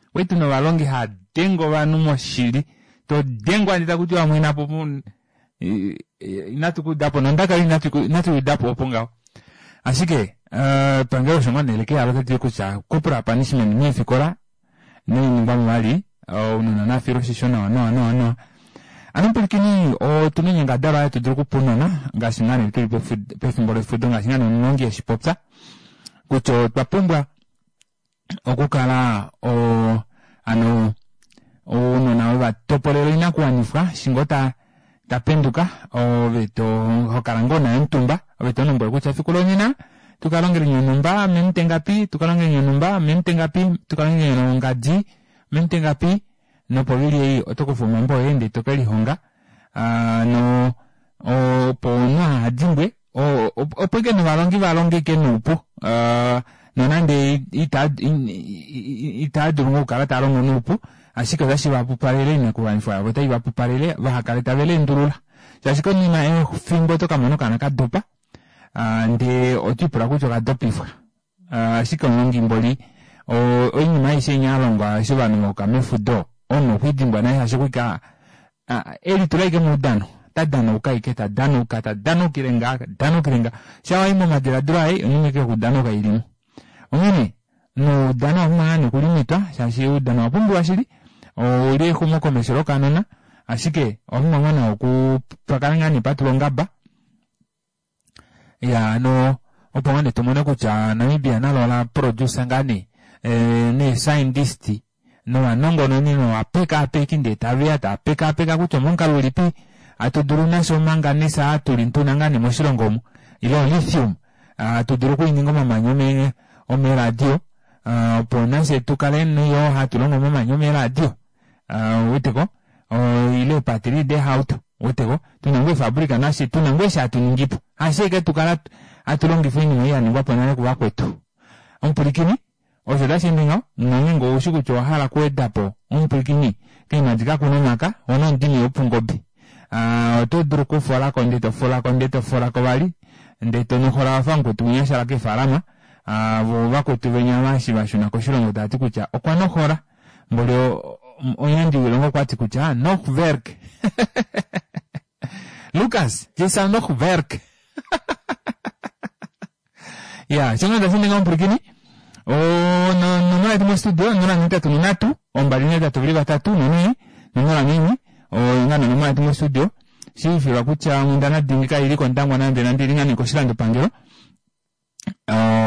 A: Okwali tuna ovalongi haa denge ovanhu moshili. To dengwa ndee taku tiwa mwena po inatu ku udapo nondaka yoye inatu i udapo opo ngaho. Ashike epangelo osho ngoo nee leke yalo otali ti kutya corporal punishment meefikola noiningwamo vali ounona nafilwe oshisho nawa nawa nawa nawa. Ano mupwilikini otuna oinyangadalwa hatu dulu okupunona ngaashi ngaa nee tuli pefimbo lefudo ngaashi ngaa nee omulongi eshi popya kutya otwa pumbwa okukala o ano ounona we va topolela oinakuwanifwa eshi ngoo ta ta penduka ove to ho kala ngoo naye omutumba ove to lombwele kutya efiku lonena tu ka longele onhumba ominute ngapi tu ka longele onhumba ominute ngapi tu ka longele ongadi ominute ngapi nopovili ei oto kufa omambo oye ndee to ke lihonga no opo omunhu aha dimbwe opo ike novalongi va longe ike noupu nonande itaa dulu ngoo okukala taa longo noupu ashike otashi va pupalele oinakuwanifwa yavo otai va pupalele vaha kale tave leendulula shaashi konima efimbo oto ka mona okaana ka dopa ndee oto ipula kutya okadopifwa Ashike omulongi mboli oinima aishe inya alongwa eshi ovanhu vauka mefudo omunhu okwa idimbwa nale shaashi okwika elitula ashike moudano ta danauka ashike ta danauka ta danaukile ngaa ta danaukile ngaa sha wayi momadiladilo aye oinima ashike yokudanauka ilimo onghene noudano owa pumbwa ngaa nee okulimitwa shaashi oudano owa pumbiwa shili ouli exumokomesho lokanona ashike owa pumbwa ngaa nawa oku pakale ngaa nee patulwa ongaba Ya ano opo ngaa nee tumone kutya Namibia nalo ola producer ngaa nee eh, nee scientist novanongononi novapekaapeki ndee taveya tava pekaapeka kutya omomukalo ulipi hatu dulu nasho omanganese aa tuli tuna ngaa nee moshilongo omu ile olithium hatu dulu okuininga omamanya ome omeradio opo nafye tukale yo hatu longo omamanya omeradio uweteko ile eepateli deehauto uweteko tuna ngoo eefabrika nafye tuna ngoo eshi hatu ningipo hasho ashike tukala hatu longifa oinima ei yaningwapo nale kuvakwetu omupwilikini osho tashi ende ngaho nongeenge oushi kutya owahala okuwedapo omupwilikini keemadi kakuna omaka wona omudimi wopungobe oto dulu okufolako ndee tofolako ndee tofolako vali ndee tonohola wafa mukwetu winya ashala keefalama vo vakwetu venya eshi vashuna koshilongo tavati kutya okwa nohola Mboli omuyandji wilonga okwati kutya nog werk. Lucas, je zal nog werk. ya, sho ngada sindinga omupulakeni. Onomola yetu mostudio 083 283 4 04 oyo ngaa nonomola yetu mostudio. Shiifilwa kutya onghundana dingi kaili kOndangwa nande nande ili ngaa nee koshilandopangelo.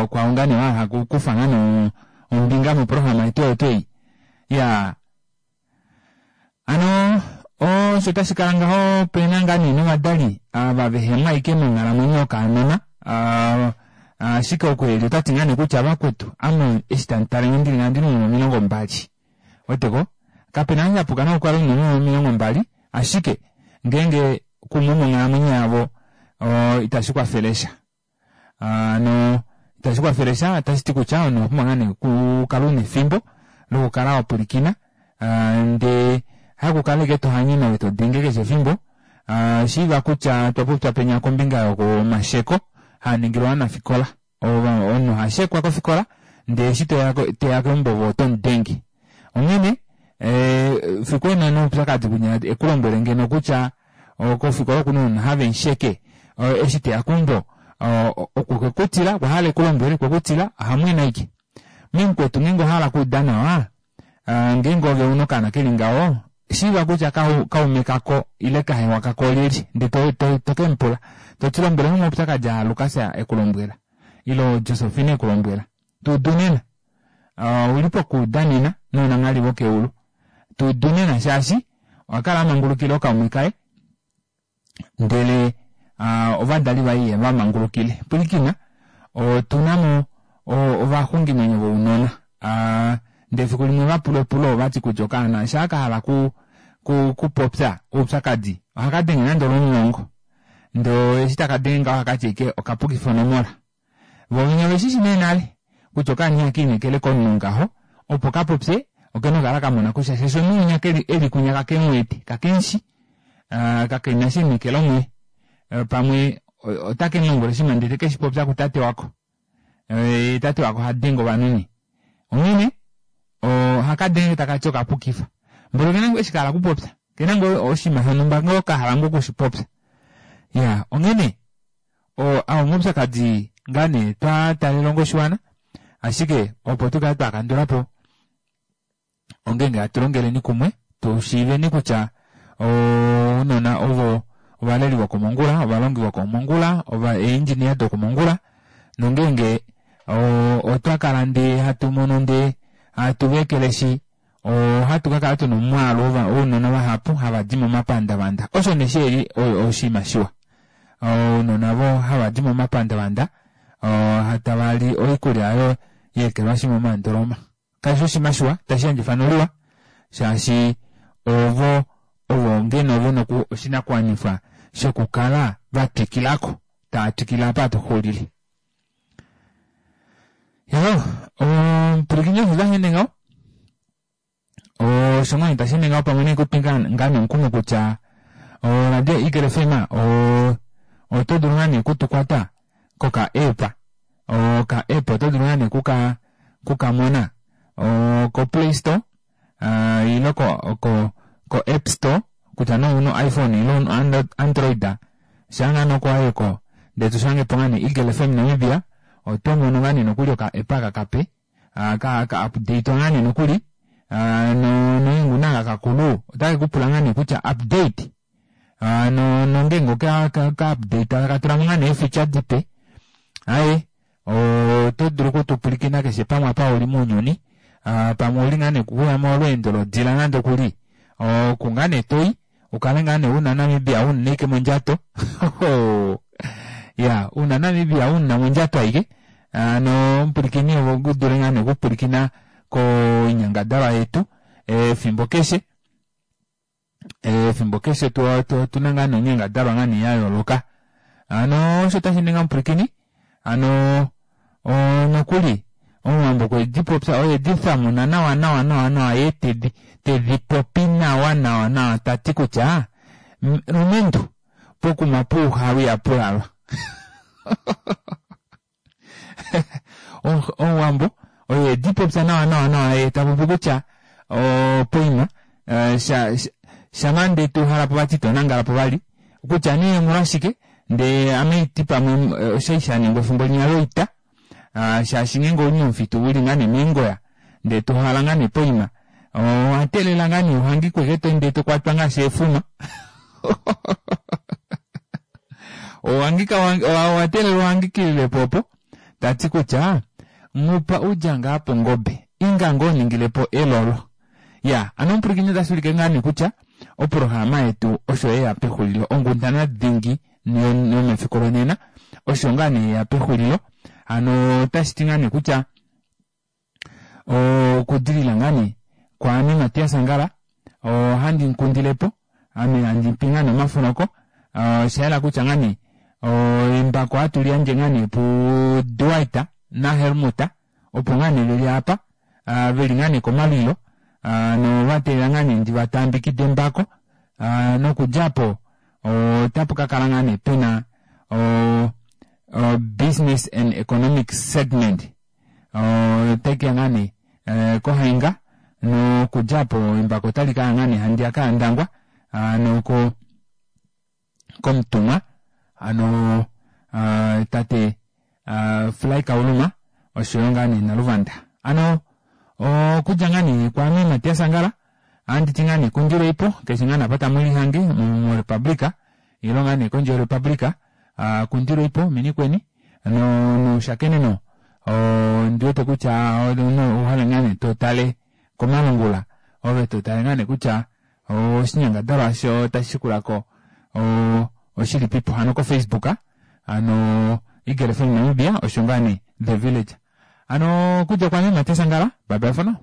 A: Okwa ngaa nee wa hala okukufa ngaa nee ombinga moprograma yetu oyo tuu ei. Iyaa, hano osho tashi kala ngaho opena ngaa nee novadali ava vehemo ashike monghalamwenyo yokaanona ashike oku eli otati ngaa nee kutya vakwetu ame eshi tamu tale nge ndili ngaha ondina ounona 20 weteko kapena eshi shapuka nokukala una ounona 20 ashike ngeenge kumwe monghalamwenyo yavo itashi kwafele sha. Hano itashi kwafele sha, otashi ti kutya omunhu owa pumbwa ngaa nee okukala una efimbo lokukala wa pwilikina ndee hakukala ashike to hanyene ove to denge keshe efimbo. Shiiva kutya otwa popya penya kombinga yomasheko haa ningilwa ovanafikola. Omunhu oha shekwa kofikola ndee eshi toya keumbo ove oto mu denge. Onghene fiku ena noupyakadi kunya ekulombwele ngeno kutya kofikola okuna ounona have musheke eshi teya keumbo okwe kutila okwa hala ekulombwele okwe kutila ohamwene aike. Memukwetu ngeenge owa hala okuuda nawa ngeenge ove una okaana keli ngaho. Shiiva kutya kaume kako ile kahewa kako olyelye, ndele to, to, to ke mu pula. To ti lombwele mo omaupyakadi aa Lukas e ku lombwela, ile Josefina e ku lombwela. Tu udu nena. Uh, u li pokuuda nena nounanghali vokeulu. Tu udu nena shaashi owa kala a mangulukila ookaume kaye, ndele uh, ovadali vaye ihava mangulukile. Pwilikina, otu na mo ovaxungimwenyo vounona. Uh, ndele efiku limwe va pula epulo ovati kutya okaana shaa ka hala ku, ku, kupopya oupyakadi ohaka denge nande olwomulongo ndee eshi taka denge ngaho ohaka ti ike okapukifa onomola. Vo vene ove shi shi nee nale kutya okaana ihaka inekele komunhu ngaho opo ka popye oke na okukala ka mona kutya shaashi omunhu winya keli eli kwinya kake mu wete kake mu shi uh, kake na shi inekelo muye uh, pamwe otake mu lombwele oshinima ndele te ke shi popya kutate wako uh, tate wako ha denge ovanhu nee onghene ohaka denge taka ti okapukifa mboli okena ngoo eshi ka hala okupopya kena ngoo oshinima shonhumba ngoo ka hala ngoo okushipopya ya onghene Oo omaupyakadi ngaa nee twa taalela onga oshiwana, ashike opo tu kale twa kandula po ongeenge hatu longeleni kumwe tu shiiveni kutya ounona ovo ovaleli vokomongula, ovalongi vokomongula, ova eeindjinia dokomongula nongeenge otwa kala ndee hatu mono ndee hatu va ekeleshi ohatu ka kala tuna omwaalu wounona vahapu hava di momapandavanda. Osho nee shi li oshinima shiwa. Ounona vo hava di momapandavanda tava li oikulya oyo ya ekelwashi momandoloma. Kashi fi oshinima shiwa, tashi yandje efano liwa shaashi ovo ovo ngeno ve na oshinakuwanifwa shokukala va twikila ko, tava twikile apa hatu xulile. Yo, omupwilikini osho tashi ende ngaho. Osho ngoo tashi ende ngaho pamwe nekutwi ngaa nomukumo kutya oradio Eagle FM oto dulu ngaa nee kutukwata koka app. Oka app oto dulu ngaa nee kuka kukamona ko Play Store ile ko ko ko App Store kutya nee ouna iPhone ile ouna Android shaa ngaa nee oko ko ndee to shange po ngaa nee Eagle FM Namibia oto mono ngaa nee nokuli oka app aka kape ka ka update ngaa nee nokuli no noinguna aka kakulu otake ku pula ngaa nee kutya update no nongeenge oka ka update taka tula mo ngaa nee eefeature dipe aye Oto dulu oku tu pwilikina keshe pamwe apa uli mounyuni. Pamwe ouli ngaa nee kuya molweendo lodila nande okuli. Oku ngaa nee toi, ukale ngaa nee una Namibia una ike mondjato. Ya, una Namibia una mondjato aike. Ano omupwilikini opo u dule ngaa nee okupwilikina koinyangadalwa yetu efimbo keshe. Efimbo keshe otu na ngaa noinyangadalwa ngaa nee ya yooloka. Hano osho tashi ninga omupwilikini, hano nokuli Omuwambo okwe di popya oye di thamuna nawa nawa nawa nawa ye tedhi tedhi popi nawa nawa nawa ta ti kutya lumentu pokuma puuhalu ihapu lalwa. Omuwambo oye di popya nawa nawa nawa ye ta popi kutya poima eh, sha shampa nde tu hala po vati ito nangala po vali kutya nee omolwashike ndee ame iti pamwe eh, oshai sha ningwa efimbo linya loita ah, shaashi ngeenge ouli momufitu uli ngaa nee meengoya ndee to hala ngaa nee poima owa teelela ngaa nee uhangikwe ke to ndee to kwatwa ngaashi eefuma Owangika owa teelelwa uhangikilile po opo ta ti kutya nghupa udja ngaa pongobe inga ngoo ningile po elolo. Ya, ano omupwilikini otashi ulike ngaa nee kutya oprograma yetu osho ye ya pexulilo onghundana dhingi yomefiku lonena osho ngaa nee ye ya pexulilo. Hano otashi ti ngaa nee kutya okudilila ngaa nee kwaame Matias Angala ohandi nkundile po ame handi mpi ngaa nee omafunoko osha yela kutya ngaa nee embako hatu li yandje ngaa nee puDwight naHelmut opo ngaa nee veli apa veli ngaa nee komalwilo nova teelela ngaa nee ndi va taambikide embako nokudja po otapu ka kala ngaa nee pena business and economic segment otai keya ngaa nee eh, kohainga nokudja po embako otali kaya ngaa nee handiyaka yandangwa ano ko komutumwa ano ah, tate ah, Fly Kauluma oshoyo ngaa nee Naluvanda ano okudja ngaa nee kwaame Matias Angala. Ohanditi ngaa nee kundileipo keshe ngaa nee apa tamu lihange morepublica ile ngaa nee kondje yorepublica kundilweipo minikweni noushakeneno ondiwete kutya ouhale ngaa nee totale komalungula ove totale ngaa nee kutya oshinyangadalwa osho tashi shikulako oshilipipo hano ko facebook hano Eagle FM Namibia osho ngaa nee The Village hano okudja kwame Mateus Angala bye bye for now.